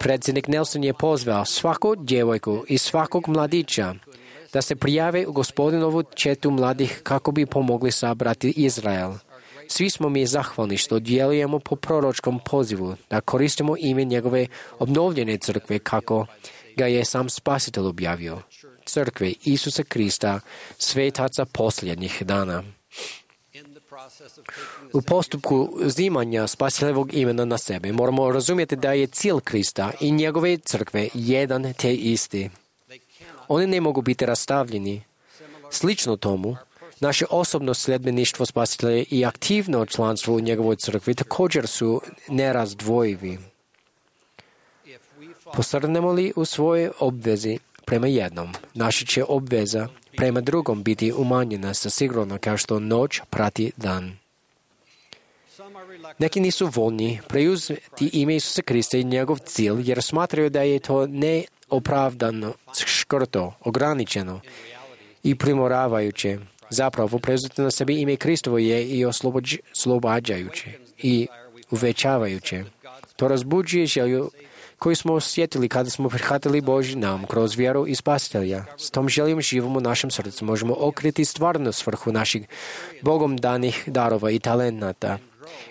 Predsjednik Nelson je pozvao svaku djevojku i svakog mladića da se prijave u Gospodinovu četu mladih kako bi pomogli sabrati Izrael. Svi smo mi zahvalni što djelujemo po proročkom pozivu, da koristimo ime njegove obnovljene crkve kako ga je sam Spasitelj objavio. Crkve Isusa Krista, svetaca posljednjih dana. U postupku uzimanja Spasiteljevog imena na sebe moramo razumjeti da je cilj Krista i njegove crkve jedan te isti. Oni ne mogu biti rastavljeni. Slično tomu, naše osobno sljedbeništvo Spasitelja i aktivno članstvo u njegovoj crkvi također su nerazdvojivi. Posrnemo li u svojoj obvezi prema jednom, naša će obveza prema drugom biti umanjena sa sigurno kao što noć prati dan. Neki nisu voljni preuzeti ime Isusa Krista i njegov cilj jer smatraju da je to neopravdano, škrto, ograničeno i primoravajuće. Zapravo, preuzeti na sebi ime Kristovo je i oslobađajuće i uvećavajuće. To razbuđuje želju koju smo osjetili kada smo prihvatili Božji nam kroz vjeru i Spasitelja. S tom željom živom u našem srcu možemo okriti stvarnu svrhu naših Bogom danih darova i talenata.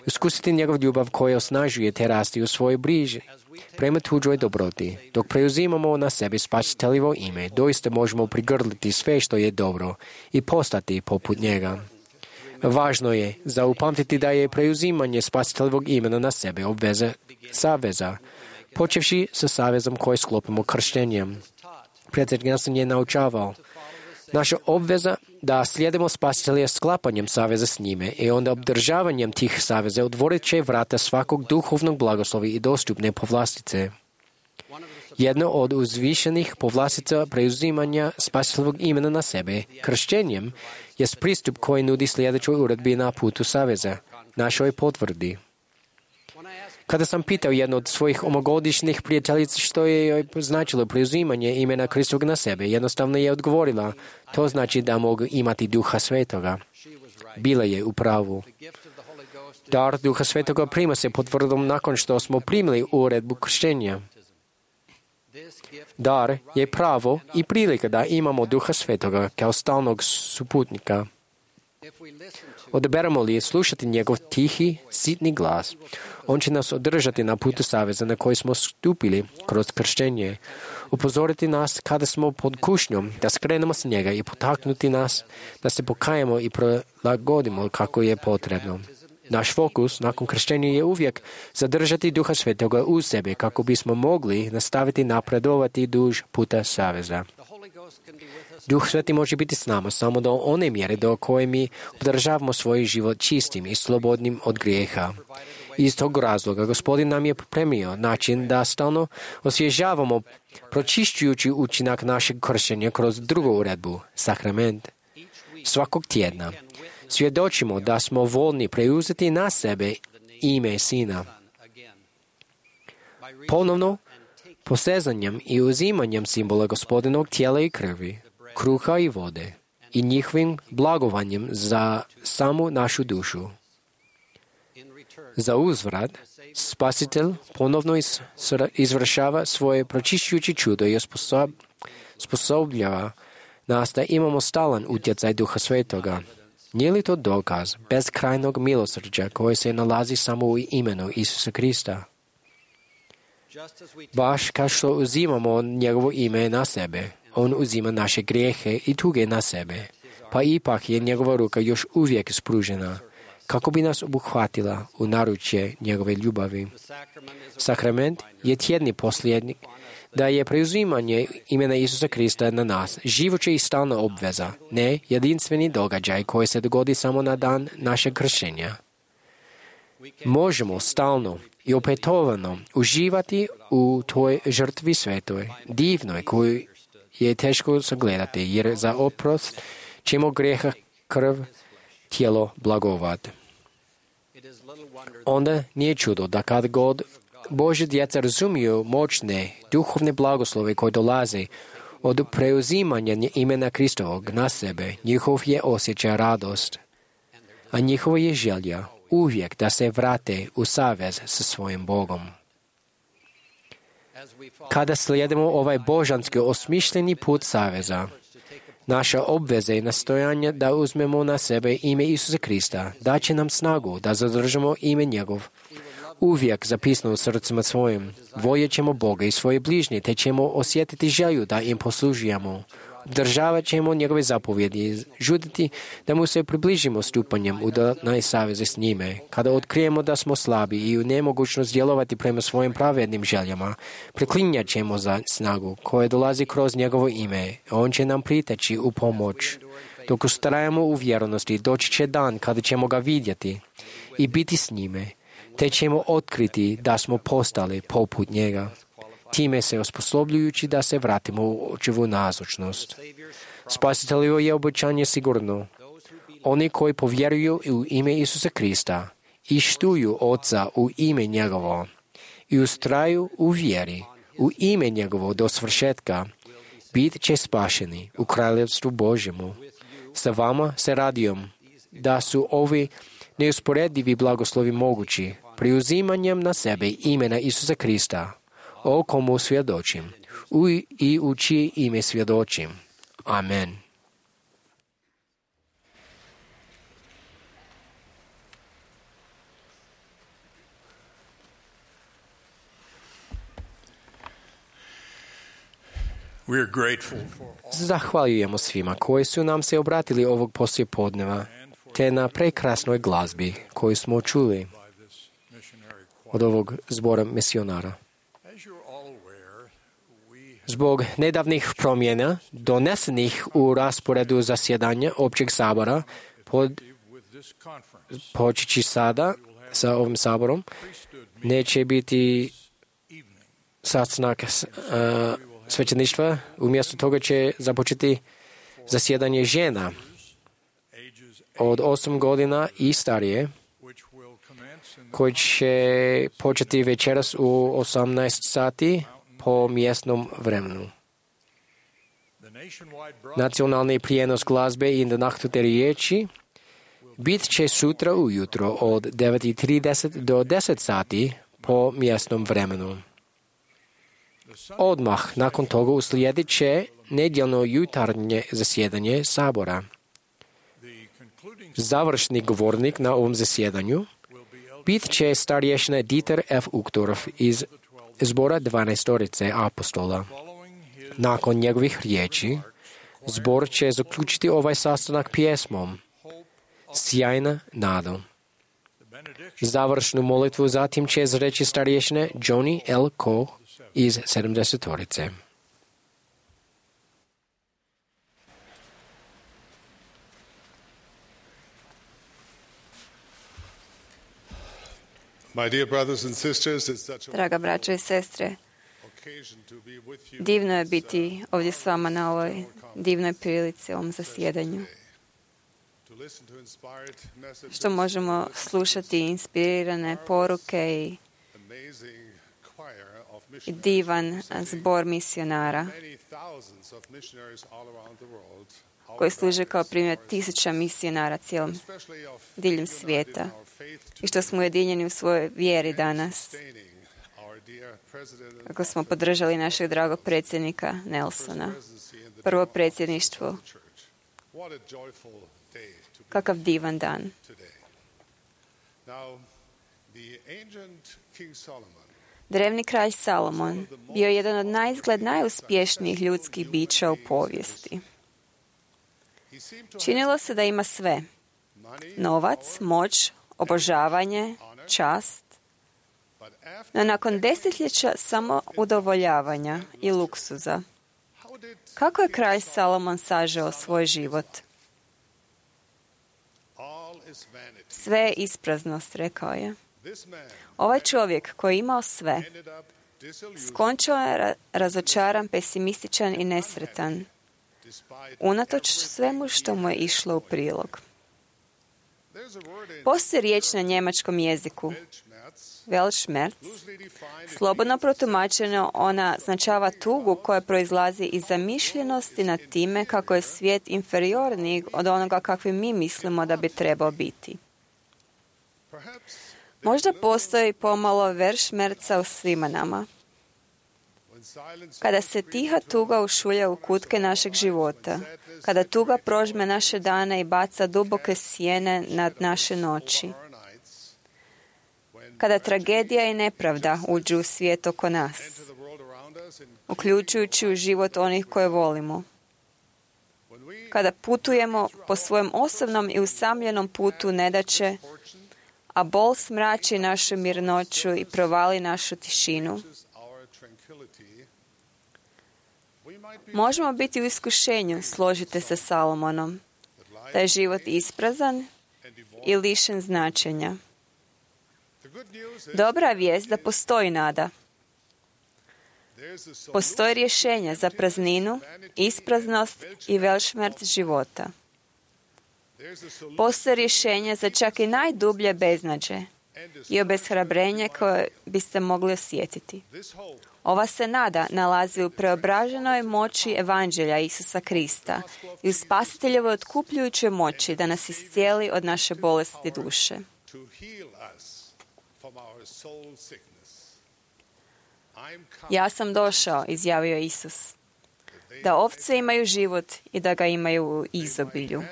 Iskusiti njegov ljubav koja osnažuje te rasti u svojoj briži prema tuđoj dobroti. Dok preuzimamo na sebi Spasiteljevo ime, doista možemo prigrliti sve što je dobro i postati poput njega. Važno je zaupamtiti da je preuzimanje Spasiteljevog imena na sebe obveza saveza, počevši sa savezom koji sklopimo krštenjem. Predsjednik Nelson je naučavao. Naša obveza da slijedimo Spasitelja sklapanjem saveza s njime i onda obdržavanjem tih saveza otvorit će vrata svakog duhovnog blagoslova i dostupne povlastice. Jedna od uzvišenih povlastica preuzimanja Spasiteljevog imena na sebe, krštenjem, je pristup koji nudi sljedećoj uredbi na putu saveza, našoj potvrdi. Kada sam pitao jednu od svojih omogodišnjih prijateljica što je joj značilo preuzimanje imena Kristovog na sebe, jednostavno je odgovorila, to znači da mogu imati Duha Svetoga. Bila je u pravu. Dar Duha Svetoga prima se potvrdom nakon što smo primili uredbu krštenja. Dar je pravo i prilika da imamo Duha Svetoga kao stalnog suputnika. Odaberemo li slušati njegov tihi, sitni glas, on će nas održati na putu saveza na koji smo stupili kroz krštenje, upozoriti nas kada smo pod kušnjom, da skrenemo s njega i potaknuti nas da se pokajemo i prilagodimo kako je potrebno. Naš fokus nakon krštenja je uvijek zadržati Duha Svetoga u sebi kako bismo mogli nastaviti napredovati duž puta saveza. Duh Sveti može biti s nama samo do one mjere do koje mi održavamo svoj život čistim i slobodnim od grijeha. Iz tog razloga Gospodin nam je pripremio način da stalno osvježavamo pročišćujući učinak našeg kršenja kroz drugu uredbu, sakrament. Svakog tjedna svjedočimo da smo voljni preuzeti na sebe ime Sina. Ponovno, posezanjem i uzimanjem simbola Gospodinog tijela i krvi, kruha i vode i njihovim blagovanjem za samu našu dušu. Za uzvrat, Spasitelj ponovno izvršava svoje pročišćujuće čudo i osposobljava nas da imamo stalan utjecaj Duha Svetoga. Nije li to dokaz bezkrajnog milosrđa koje se nalazi samo u imenu Isusa Krista? Baš kao što uzimamo njegovo ime na sebe, on uzima naše grijehe i tuge na sebe, pa ipak je njegova ruka još uvijek spružena, kako bi nas obuhvatila u naručje njegove ljubavi. Sakrament je tjedni posljednik da je preuzimanje imena Isusa Krista na nas živuća i stalna obveza, ne jedinstveni događaj koji se dogodi samo na dan našeg kršenja. Možemo stalno i opetovano uživati u toj žrtvi svetoj, divnoj, koju je teško sagledati, jer za oprost ćemo grijeha krv, tijelo blagovat. Onda nije čudo da kad god Božje djeca razumiju moćne duhovne blagoslove koje dolaze Od preuzimanja imena Kristovog na sebe njihov je osjećaj radost, a njihova je želja uvijek da se vrate u savez sa svojim Bogom. Kada slijedimo ovaj božanski osmišljeni put saveza, naša obveza i nastojanje da uzmemo na sebe ime Isusa Krista daće nam snagu da zadržimo ime njegov. Uvijek zapisano u srcima svojim, voljet ćemo Boga i svoje bližnje, te ćemo osjetiti želju da im poslužujemo. Državat ćemo njegove zapovjedi, žuditi da mu se približimo stupanjem u dodatnoj saveze s njime. Kada otkrijemo da smo slabi i u nemogućnost djelovati prema svojim pravednim željama, preklinjat ćemo za snagu koja dolazi kroz njegovo ime. On će nam priteći u pomoć. Dok ustrajemo u vjernosti, doći će dan kada ćemo ga vidjeti i biti s njime, te ćemo otkriti da smo postali poput njega, time se osposobljujući da se vratimo u očevu nazočnost. Spasiteljovo je obećanje sigurno. Oni koji povjeruju u ime Isusa Krista i štuju Oca u ime njegovo i ustraju u vjeri u ime njegovo do svršetka, bit će spašeni u kraljevstvu Božjemu. Sa vama se radujem da su ovi neusporedivi blagoslovi mogući preuzimanjem na sebe imena Isusa Krista, o komu svjedočim i u čije ime svjedočim. Amen. Zahvaljujemo svima koji su nam se obratili ovog poslijepodneva, te na prekrasnoj glazbi koju smo čuli od ovog zbora misionara. Zbog nedavnih promjena donesenih u rasporedu zasjedanja općeg sabora, počeći sada sa ovim saborom, neće biti sastanak svećeništva, umjesto toga će započeti zasjedanje žena od 8 godina i starije, koji će početi večeras u 18 sati po mjesnom vremenu. Nacionalni prijenos glazbe i nahnute riječi bit će sutra ujutro od 9:30 do 10 sati po mjesnom vremenu. Odmah nakon toga uslijedit će nedjeljno jutarnje zasjedanje sabora. Završni govornik na ovom zasjedanju bit će starješina Dieter F. Uchtdorf iz zbora 12 apostola. Nakon njegovih riječi, zbor će zaključiti ovaj sastanak pjesmom Sjajna nada. Završnu molitvu zatim će izreći starješina Johnny L. Koh iz 70. Draga braćo i sestre, divno je biti ovdje s vama na ovoj divnoj prilici, ovom zasjedanju. Što možemo slušati inspirirane poruke i divan zbor misionara koji služe kao primjer 1000 misionara diljem svijeta i što smo ujedinjeni u svojoj vjeri danas, kako smo podržali našeg dragog predsjednika Nelsona, prvo predsjedništvo. Kakav divan dan. Drevni kralj Salomon bio je jedan od naizgled najuspješnijih ljudskih bića u povijesti. Činilo se da ima sve. Novac, moć, obožavanje, čast. No nakon desetljeća samo udovoljavanja i luksuza, kako je kralj Salomon sažeo svoj život? Sve je ispraznost, rekao je. Ovaj čovjek koji je imao sve, skončao je razočaran, pesimističan i nesretan, unatoč svemu što mu je išlo u prilog. Postoji riječ na njemačkom jeziku, Weltschmerz, slobodno protumačeno, ona značava tugu koja proizlazi iz zamišljenosti nad time kako je svijet inferiorniji od onoga kakvi mi mislimo da bi trebao biti. Možda postoji pomalo Weltschmerza u svima nama. Kada se tiha tuga ušulja u kutke našeg života, kada tuga prožme naše dane i baca duboke sjene nad naše noći, kada tragedija i nepravda uđu u svijet oko nas, uključujući u život onih koje volimo, kada putujemo po svojem osobnom i usamljenom putu nedaće, a bol smrači našu mirnoću i provali našu tišinu, možemo biti u iskušenju, složite se Salomonom, da je život isprazan i lišen značenja. Dobra vijest da postoji nada. Postoji rješenje za prazninu, ispraznost i Weltschmerz života. Postoji rješenje za čak i najdublje beznađe i obeshrabrenje koje biste mogli osjetiti. Ova se nada nalazi u preobraženoj moći Evanđelja Isusa Krista i u Spasiteljevoj otkupljujućoj moći da nas iscijeli od naše bolesti duše. Ja sam došao, izjavio Isus, da ovce imaju život i da ga imaju u izobilju.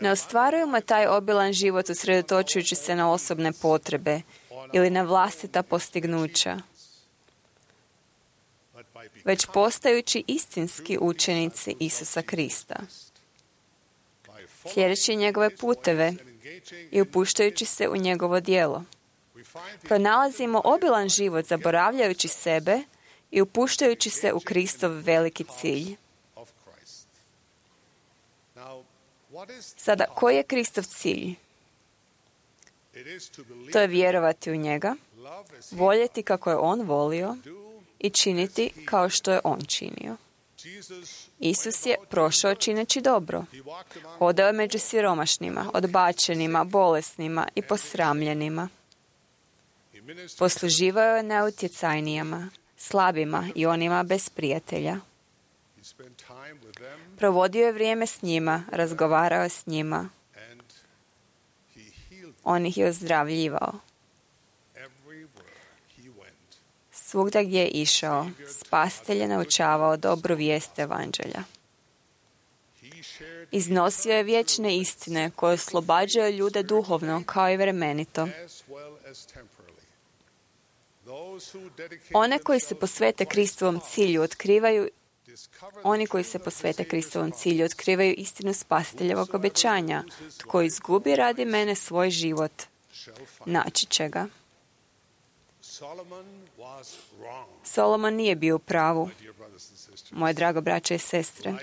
Ne ostvarujemo taj obilan život usredotočujući se na osobne potrebe ili na vlastita postignuća, već postajući istinski učenici Isusa Krista, sljedeći njegove puteve i upuštajući se u njegovo djelo. Pronalazimo obilan život zaboravljajući sebe i upuštajući se u Kristov veliki cilj. Sada, koji je Kristov cilj? To je vjerovati u njega, voljeti kako je on volio i činiti kao što je on činio. Isus je prošao čineći dobro. Hodao je među siromašnima, odbačenima, bolesnima i posramljenima. Posluživao je najutjecajnijima, slabima i onima bez prijatelja. Provodio je vrijeme s njima, razgovarao je s njima. On ih je ozdravljivao. Svugdje gdje je išao, Spasitelj je naučavao dobru vijest Evanđelja. Iznosio je vječne istine koje oslobađaju ljude duhovno kao i vremenito. Oni koji se posvete Kristovom cilju otkrivaju istinu Spasiteljevog obećanja. Tko izgubi radi mene svoj život, naći će ga. Solomon nije bio u pravu. Moje drago braće i sestre,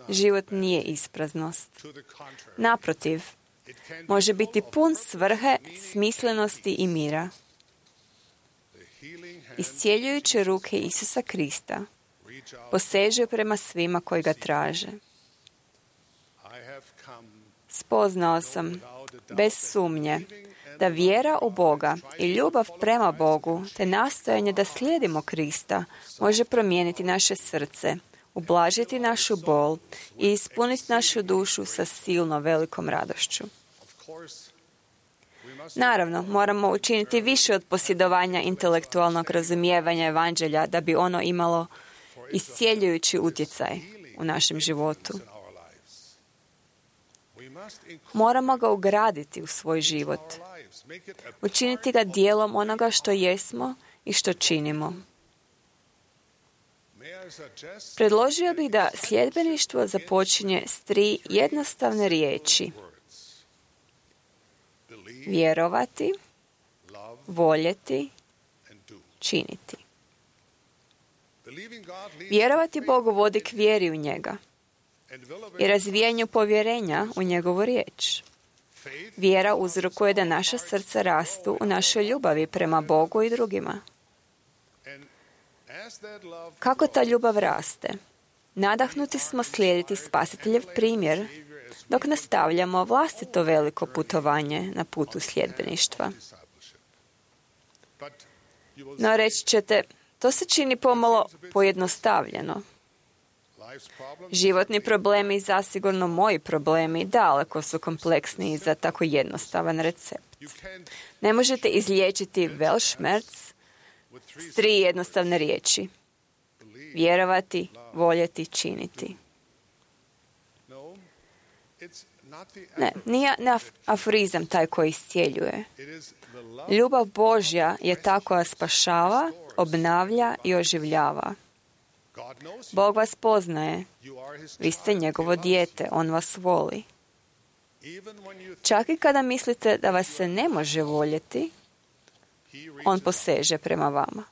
život nije ispraznost. Naprotiv, može biti pun svrhe, smislenosti i mira. Iscijeljujuće ruke Isusa Krista posežu prema svima koji ga traže. Spoznao sam, bez sumnje, da vjera u Boga i ljubav prema Bogu, te nastojanje da slijedimo Krista, može promijeniti naše srce, ublažiti našu bol i ispuniti našu dušu sa silno velikom radošću. Naravno, moramo učiniti više od posjedovanja intelektualnog razumijevanja Evanđelja da bi ono imalo iscijeljujući utjecaj u našem životu. Moramo ga ugraditi u svoj život, učiniti ga dijelom onoga što jesmo i što činimo. Predložio bih da sljedbeništvo započinje s 3 jednostavne riječi: vjerovati, voljeti, činiti. Vjerovati Bogu vodi k vjeri u njega i razvijanju povjerenja u njegovu riječ. Vjera uzrokuje da naša srca rastu u našoj ljubavi prema Bogu i drugima. Kako ta ljubav raste? Nadahnuti smo slijediti Spasiteljev primjer, dok nastavljamo vlastito veliko putovanje na putu sljedbeništva. No, reći ćete, to se čini pomalo pojednostavljeno. Životni problemi, zasigurno moji problemi, daleko su kompleksniji za tako jednostavan recept. Ne možete izliječiti Weltschmerz s 3 jednostavne riječi. Vjerovati, voljeti, činiti. Ne, nije aforizam taj koji iscijeljuje. Ljubav Božja je ta koja spašava, obnavlja i oživljava. Bog vas poznaje. Vi ste njegovo dijete. On vas voli. Čak i kada mislite da vas se ne može voljeti, on poseže prema vama.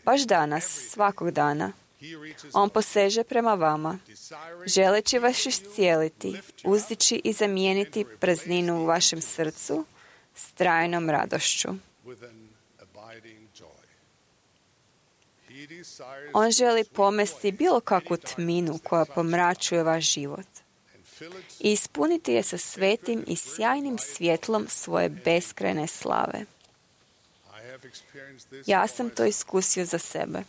Baš danas, svakog dana, on poseže prema vama, želeći vas iscijeliti, uzdići i zamijeniti prazninu u vašem srcu s trajnom radošću. On želi pomesti bilo kakvu tminu koja pomračuje vaš život i ispuniti je sa svetim i sjajnim svjetlom svoje beskrajne slave. Ja sam to iskusio za sebe.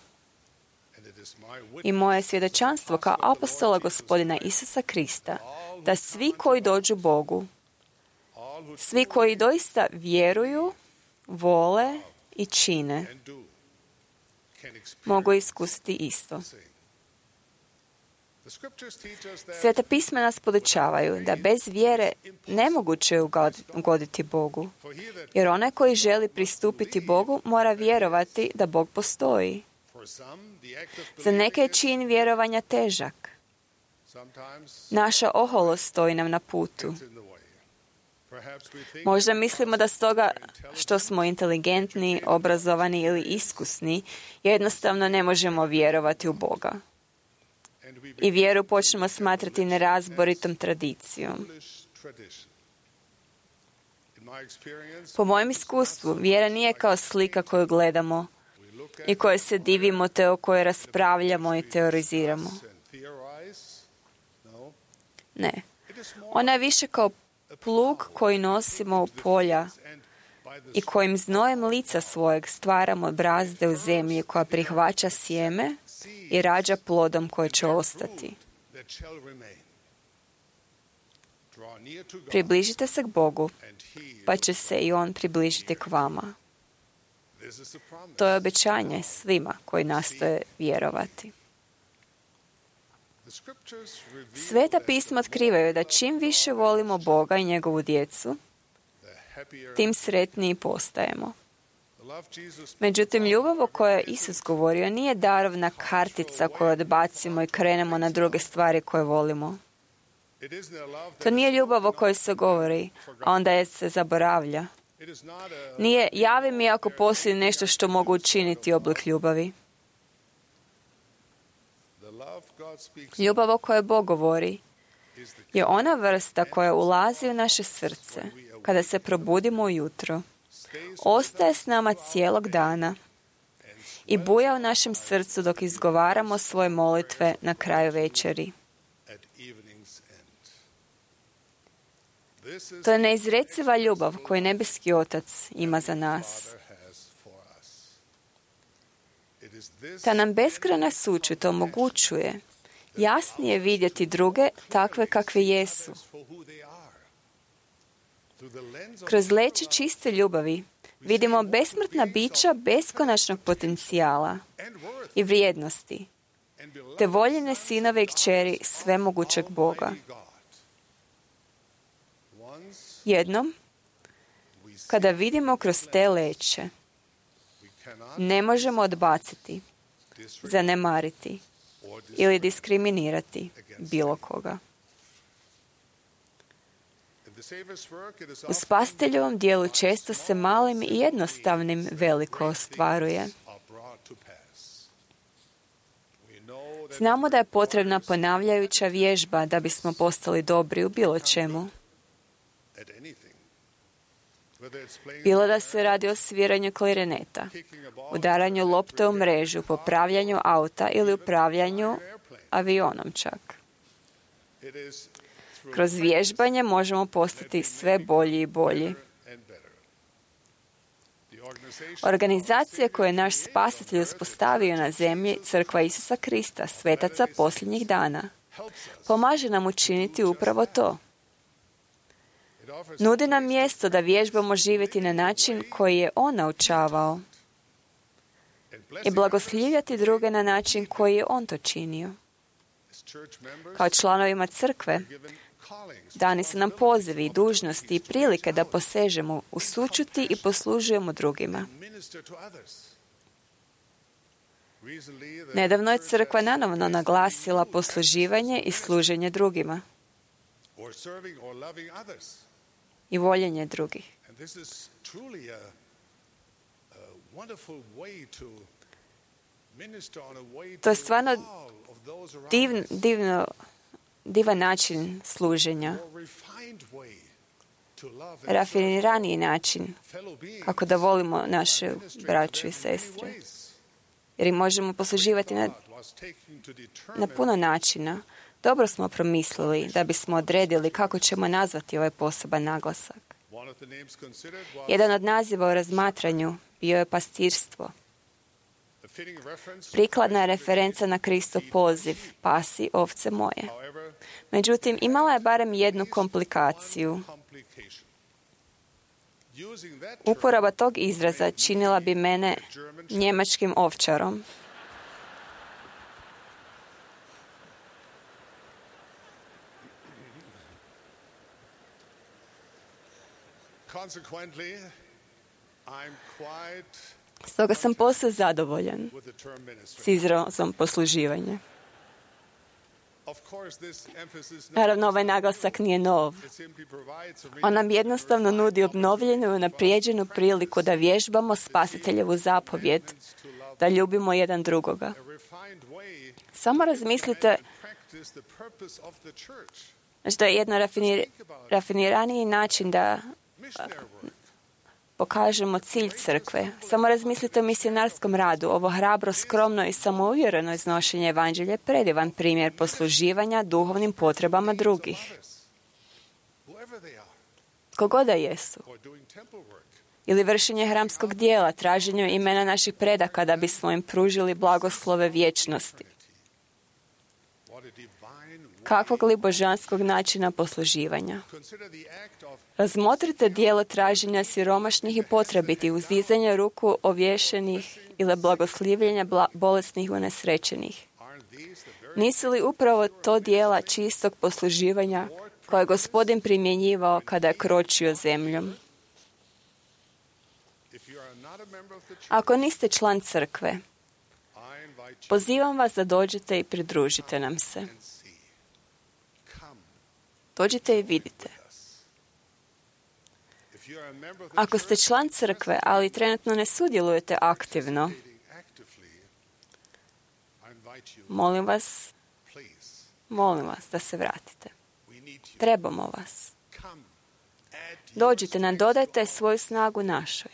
I moje svjedočanstvo kao apostola Gospodina Isusa Krista, da svi koji dođu Bogu, svi koji doista vjeruju, vole i čine, mogu iskusiti isto. Sveta pisma nas podučavaju da bez vjere nemoguće je ugoditi Bogu, jer onaj koji želi pristupiti Bogu mora vjerovati da Bog postoji. Za neke je čin vjerovanja težak. Naša oholost stoji nam na putu. Možda mislimo da stoga što smo inteligentni, obrazovani ili iskusni, jednostavno ne možemo vjerovati u Boga. I vjeru počnemo smatrati nerazboritom tradicijom. Po mojem iskustvu, vjera nije kao slika koju gledamo i koje se divimo te o kojoj raspravljamo i teoriziramo. Ne. Ona je više kao plug koji nosimo u polja i kojim znojem lica svojeg stvaramo brazde u zemlji koja prihvaća sjeme i rađa plodom koji će ostati. Približite se k Bogu, pa će se i On približiti k vama. To je obećanje svima koji nastoje vjerovati. Sveta pisma otkrivaju da čim više volimo Boga i njegovu djecu, tim sretniji postajemo. Međutim, ljubav o kojoj je Isus govorio nije darovna kartica koju odbacimo i krenemo na druge stvari koje volimo. To nije ljubav o kojoj se govori, a onda je se zaboravlja. Nije javi mi ako postoji nešto što mogu učiniti oblik ljubavi. Ljubav o kojoj Bog govori je ona vrsta koja ulazi u naše srce kada se probudimo ujutro, ostaje s nama cijelog dana i buja u našem srcu dok izgovaramo svoje molitve na kraju večeri. To je neizreciva ljubav koju nebeski Otac ima za nas. Ta nam beskrajna sućut omogućuje jasnije vidjeti druge takve kakve jesu. Kroz leće čiste ljubavi vidimo besmrtna bića beskonačnog potencijala i vrijednosti, te voljene sinove i kćeri svemogućeg Boga. Jednom, kada vidimo kroz te leće, ne možemo odbaciti, zanemariti ili diskriminirati bilo koga. U Spasiteljovom dijelu često se malim i jednostavnim veliko ostvaruje. Znamo da je potrebna ponavljajuća vježba da bismo postali dobri u bilo čemu. Bilo da se radi o sviranju klarineta, udaranju lopte u mrežu, popravljanju auta ili upravljanju avionom čak. Kroz vježbanje možemo postati sve bolji i bolji. Organizacija koju je naš spasitelj uspostavio na zemlji, Crkva Isusa Krista, svetaca posljednjih dana, pomaže nam učiniti upravo to. Nudi nam mjesto da vježbamo živjeti na način koji je On naučavao i blagoslivljati druge na način koji je On to činio. Kao članovima crkve, dani su nam pozivi i dužnosti i prilike da posežemo u sućuti i poslužujemo drugima. Nedavno je crkva nanovno naglasila posluživanje i služenje drugima i voljenje drugih. To je stvarno divan način služenja, rafiniraniji način kako da volimo naše braću i sestre. Jer im možemo posluživati na puno načina. Dobro smo promislili da bismo odredili kako ćemo nazvati ovaj poseban naglasak. Jedan od naziva u razmatranju bio je pastirstvo. Prikladna referenca na Kristov poziv, pasi ovce moje. Međutim, imala je barem jednu komplikaciju. Uporaba tog izraza činila bi mene njemačkim ovčarom. Stoga sam posve zadovoljan s izrazom posluživanja. Naravno, ovaj naglasak nije nov. On nam jednostavno nudi obnovljenu i unaprijeđenu priliku da vježbamo spasiteljevu zapovjed, da ljubimo jedan drugoga. Samo razmislite, znači da je jedan rafiniraniji način da pokažemo cilj crkve. Samo razmislite o misionarskom radu. Ovo hrabro, skromno i samouvjereno iznošenje evanđelja je predivan primjer posluživanja duhovnim potrebama drugih. Kogo da jesu. Ili vršenje hramskog dijela, traženjem imena naših predaka da bismo im pružili blagoslove vječnosti. Kakvog li božanskog načina posluživanja? Razmotrite dijelo traženja siromašnih i potrebitih, uzdizanja ruku ovješenih ili blagoslivljenja bolesnih i unesrećenih. Nisu li upravo to dijela čistog posluživanja koje je Gospodin primjenjivao kada je kročio zemljom? Ako niste član crkve, pozivam vas da dođete i pridružite nam se. Dođite i vidite. Ako ste član crkve, ali trenutno ne sudjelujete aktivno, molim vas da se vratite. Trebamo vas. Dođite nam, dodajte svoju snagu našoj.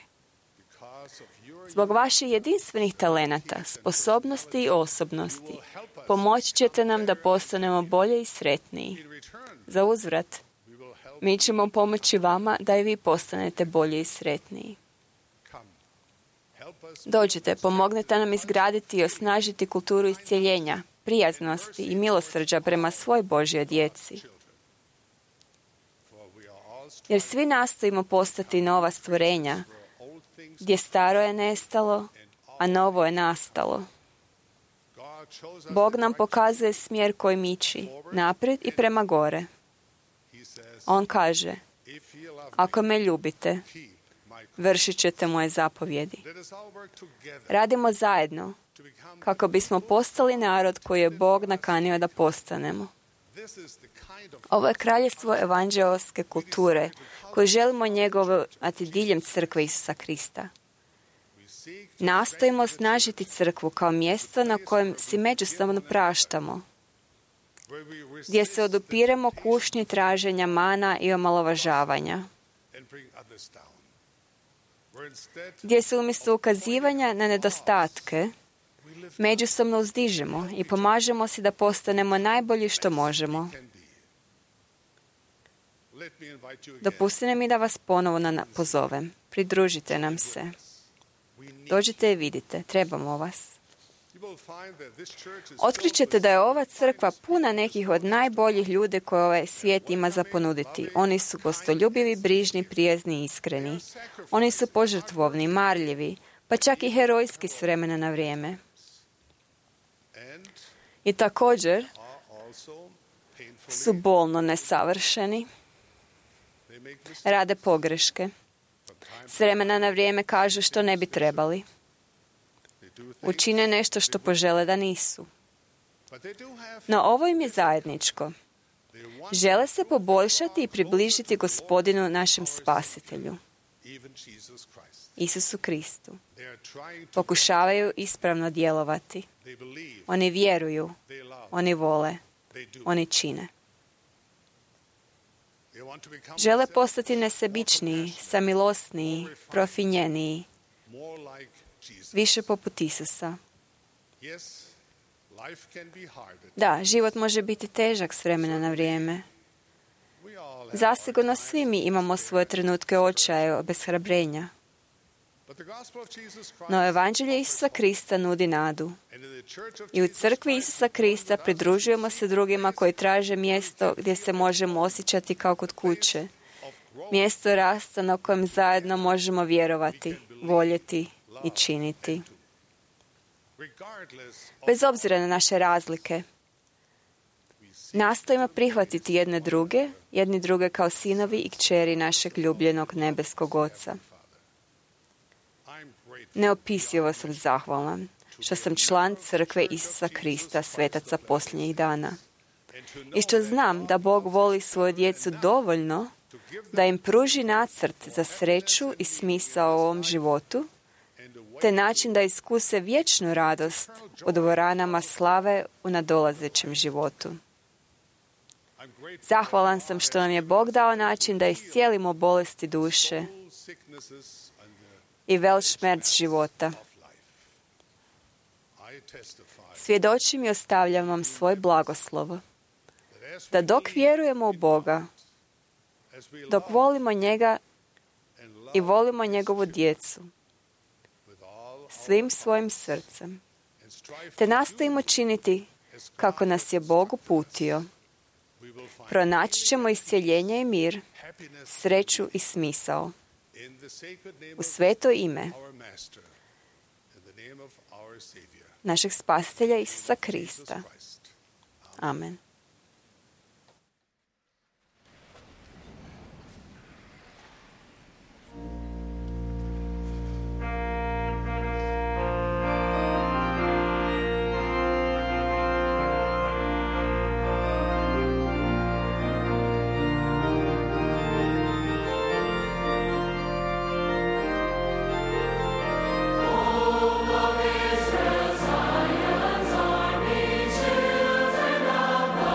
Zbog vaših jedinstvenih talenata, sposobnosti i osobnosti, pomoći ćete nam da postanemo bolje i sretniji. Za uzvrat, mi ćemo pomoći vama da i vi postanete bolji i sretniji. Dođite, pomognite nam izgraditi i osnažiti kulturu iscjeljenja, prijaznosti i milosrđa prema svoj Božjoj djeci. Jer svi nastojimo postati nova stvorenja, gdje staro je nestalo, a novo je nastalo. Bog nam pokazuje smjer kojim ići, naprijed i prema gore. On kaže, ako me ljubite, vršit ćete moje zapovjedi. Radimo zajedno, kako bismo postali narod koji je Bog nakanio da postanemo. Ovo je kraljevstvo evanđeoske kulture, koju želimo njegovati diljem crkve Isusa Krista. Nastojimo osnažiti crkvu kao mjesto na kojem si međusobno praštamo, gdje se odupiremo kušnji traženja mana i omalovažavanja, gdje se umjesto ukazivanja na nedostatke međusobno uzdižemo i pomažemo si da postanemo najbolji što možemo. Dopustite mi da vas ponovno pozovem. Pridružite nam se. Dođite i vidite. Trebamo vas. Otkrićete da je ova crkva puna nekih od najboljih ljudi koje ovaj svijet ima za ponuditi. Oni su gostoljubivi, brižni, prijezni i iskreni. Oni su požrtvovni, marljivi, pa čak i herojski s vremena na vrijeme. I također su bolno nesavršeni, rade pogreške, s vremena na vrijeme kažu što ne bi trebali. Učine nešto što požele da nisu. No ovo im je zajedničko. Žele se poboljšati i približiti Gospodinu našem Spasitelju, Isusu Kristu. Pokušavaju ispravno djelovati. Oni vjeruju, oni vole, oni čine. Žele postati nesebičniji, samilosniji, profinjeniji, više poput Isusa. Da, život može biti težak s vremena na vrijeme. Zasigurno svi mi imamo svoje trenutke očaja, obeshrabrenja. No evanđelje Isusa Krista nudi nadu. I u crkvi Isusa Krista pridružujemo se drugima koji traže mjesto gdje se možemo osjećati kao kod kuće. Mjesto rasta na kojem zajedno možemo vjerovati, voljeti i činiti. Bez obzira na naše razlike, nastojimo prihvatiti jedni druge kao sinovi i kćeri našeg ljubljenog nebeskog Oca. Neopisivo sam zahvalan što sam član crkve Isusa Krista, svetaca posljednjih dana. I što znam da Bog voli svoju djecu dovoljno da im pruži nacrt za sreću i smisao u ovom životu, te način da iskuse vječnu radost u dvoranama slave u nadolazećem životu. Zahvalan sam što nam je Bog dao način da iscijelimo bolesti duše i velšmerc života. Svjedočim i ostavljam vam svoj blagoslov, da dok vjerujemo u Boga, dok volimo njega i volimo njegovu djecu, svim svojim srcem, te nastojimo činiti kako nas je Bog uputio, pronaći ćemo iscjeljenje i mir, sreću i smisao. U sveto ime našeg Spasitelja Isusa Krista. Amen. Israel, Zion's army, children of the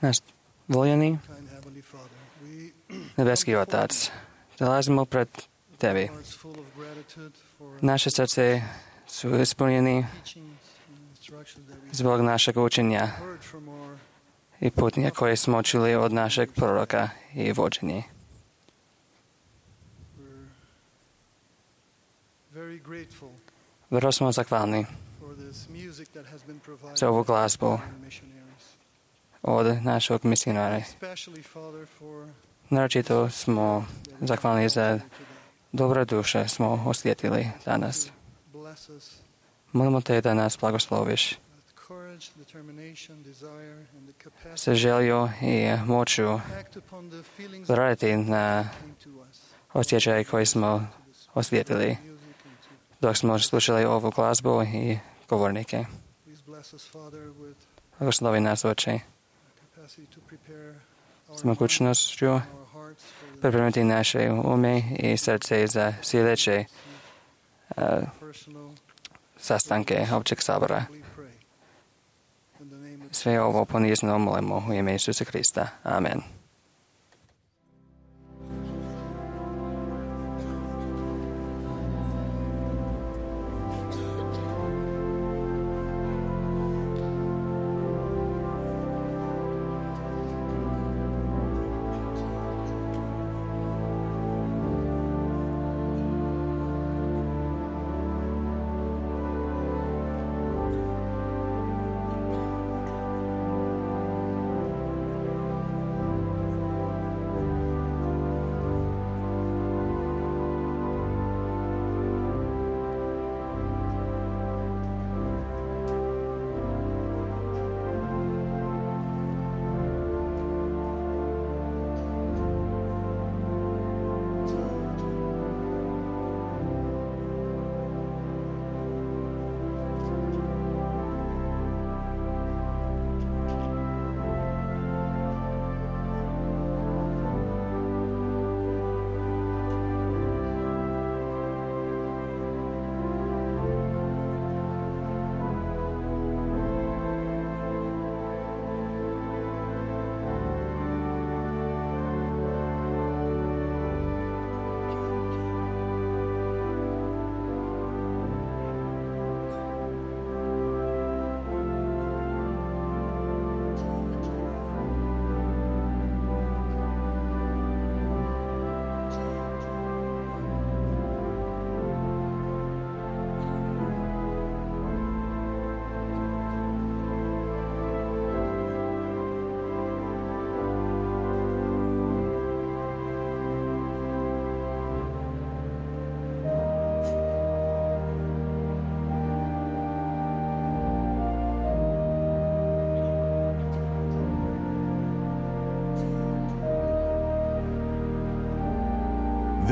Naš voljeni nebeski Otac, dolazimo pred Tebi. Naše srce su ispunjeni zbog našeg učenja i putnje koje smo čuli od našeg proroka i vođenje. Vrlo smo zahvalni za ovu glazbu od našeg misionara. Naročito smo zahvalni za dobre duše smo osjetili danas. Molimo Te da nas blagosloviš sa želju i moću raditi na osjećaje koje smo osjetili dok smo slušali ovu glazbu i govornike. Blagoslovi nas, Oče, s mogućnošću pripremiti naše ume i srce za sljedeće sastanke općeg sabora. Sve ovo ponizno molimo u ime Isusa Krista. Amen.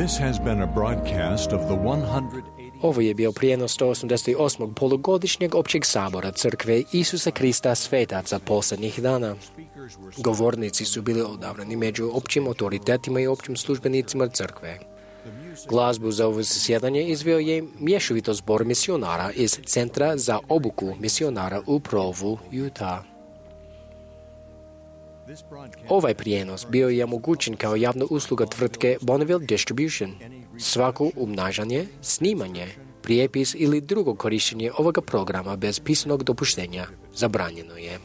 This has been a broadcast of the 180. Ovo je bio prijenos 188. polugodišnjeg općeg sabora Crkve Isusa Krista svetaca posljednjih dana. Govornici su bili odabrani među općim autoritetima i općim službenicima Crkve. Glazbu za ovo zasjedanje izveo je mješovito zbor misionara iz Centra za obuku misionara u Provu, Utah. Ovaj prijenos bio je omogućen kao javna usluga tvrtke Bonneville Distribution. Svako umnažanje, snimanje, prijepis ili drugo korištenje ovoga programa bez pisanog dopuštenja zabranjeno je.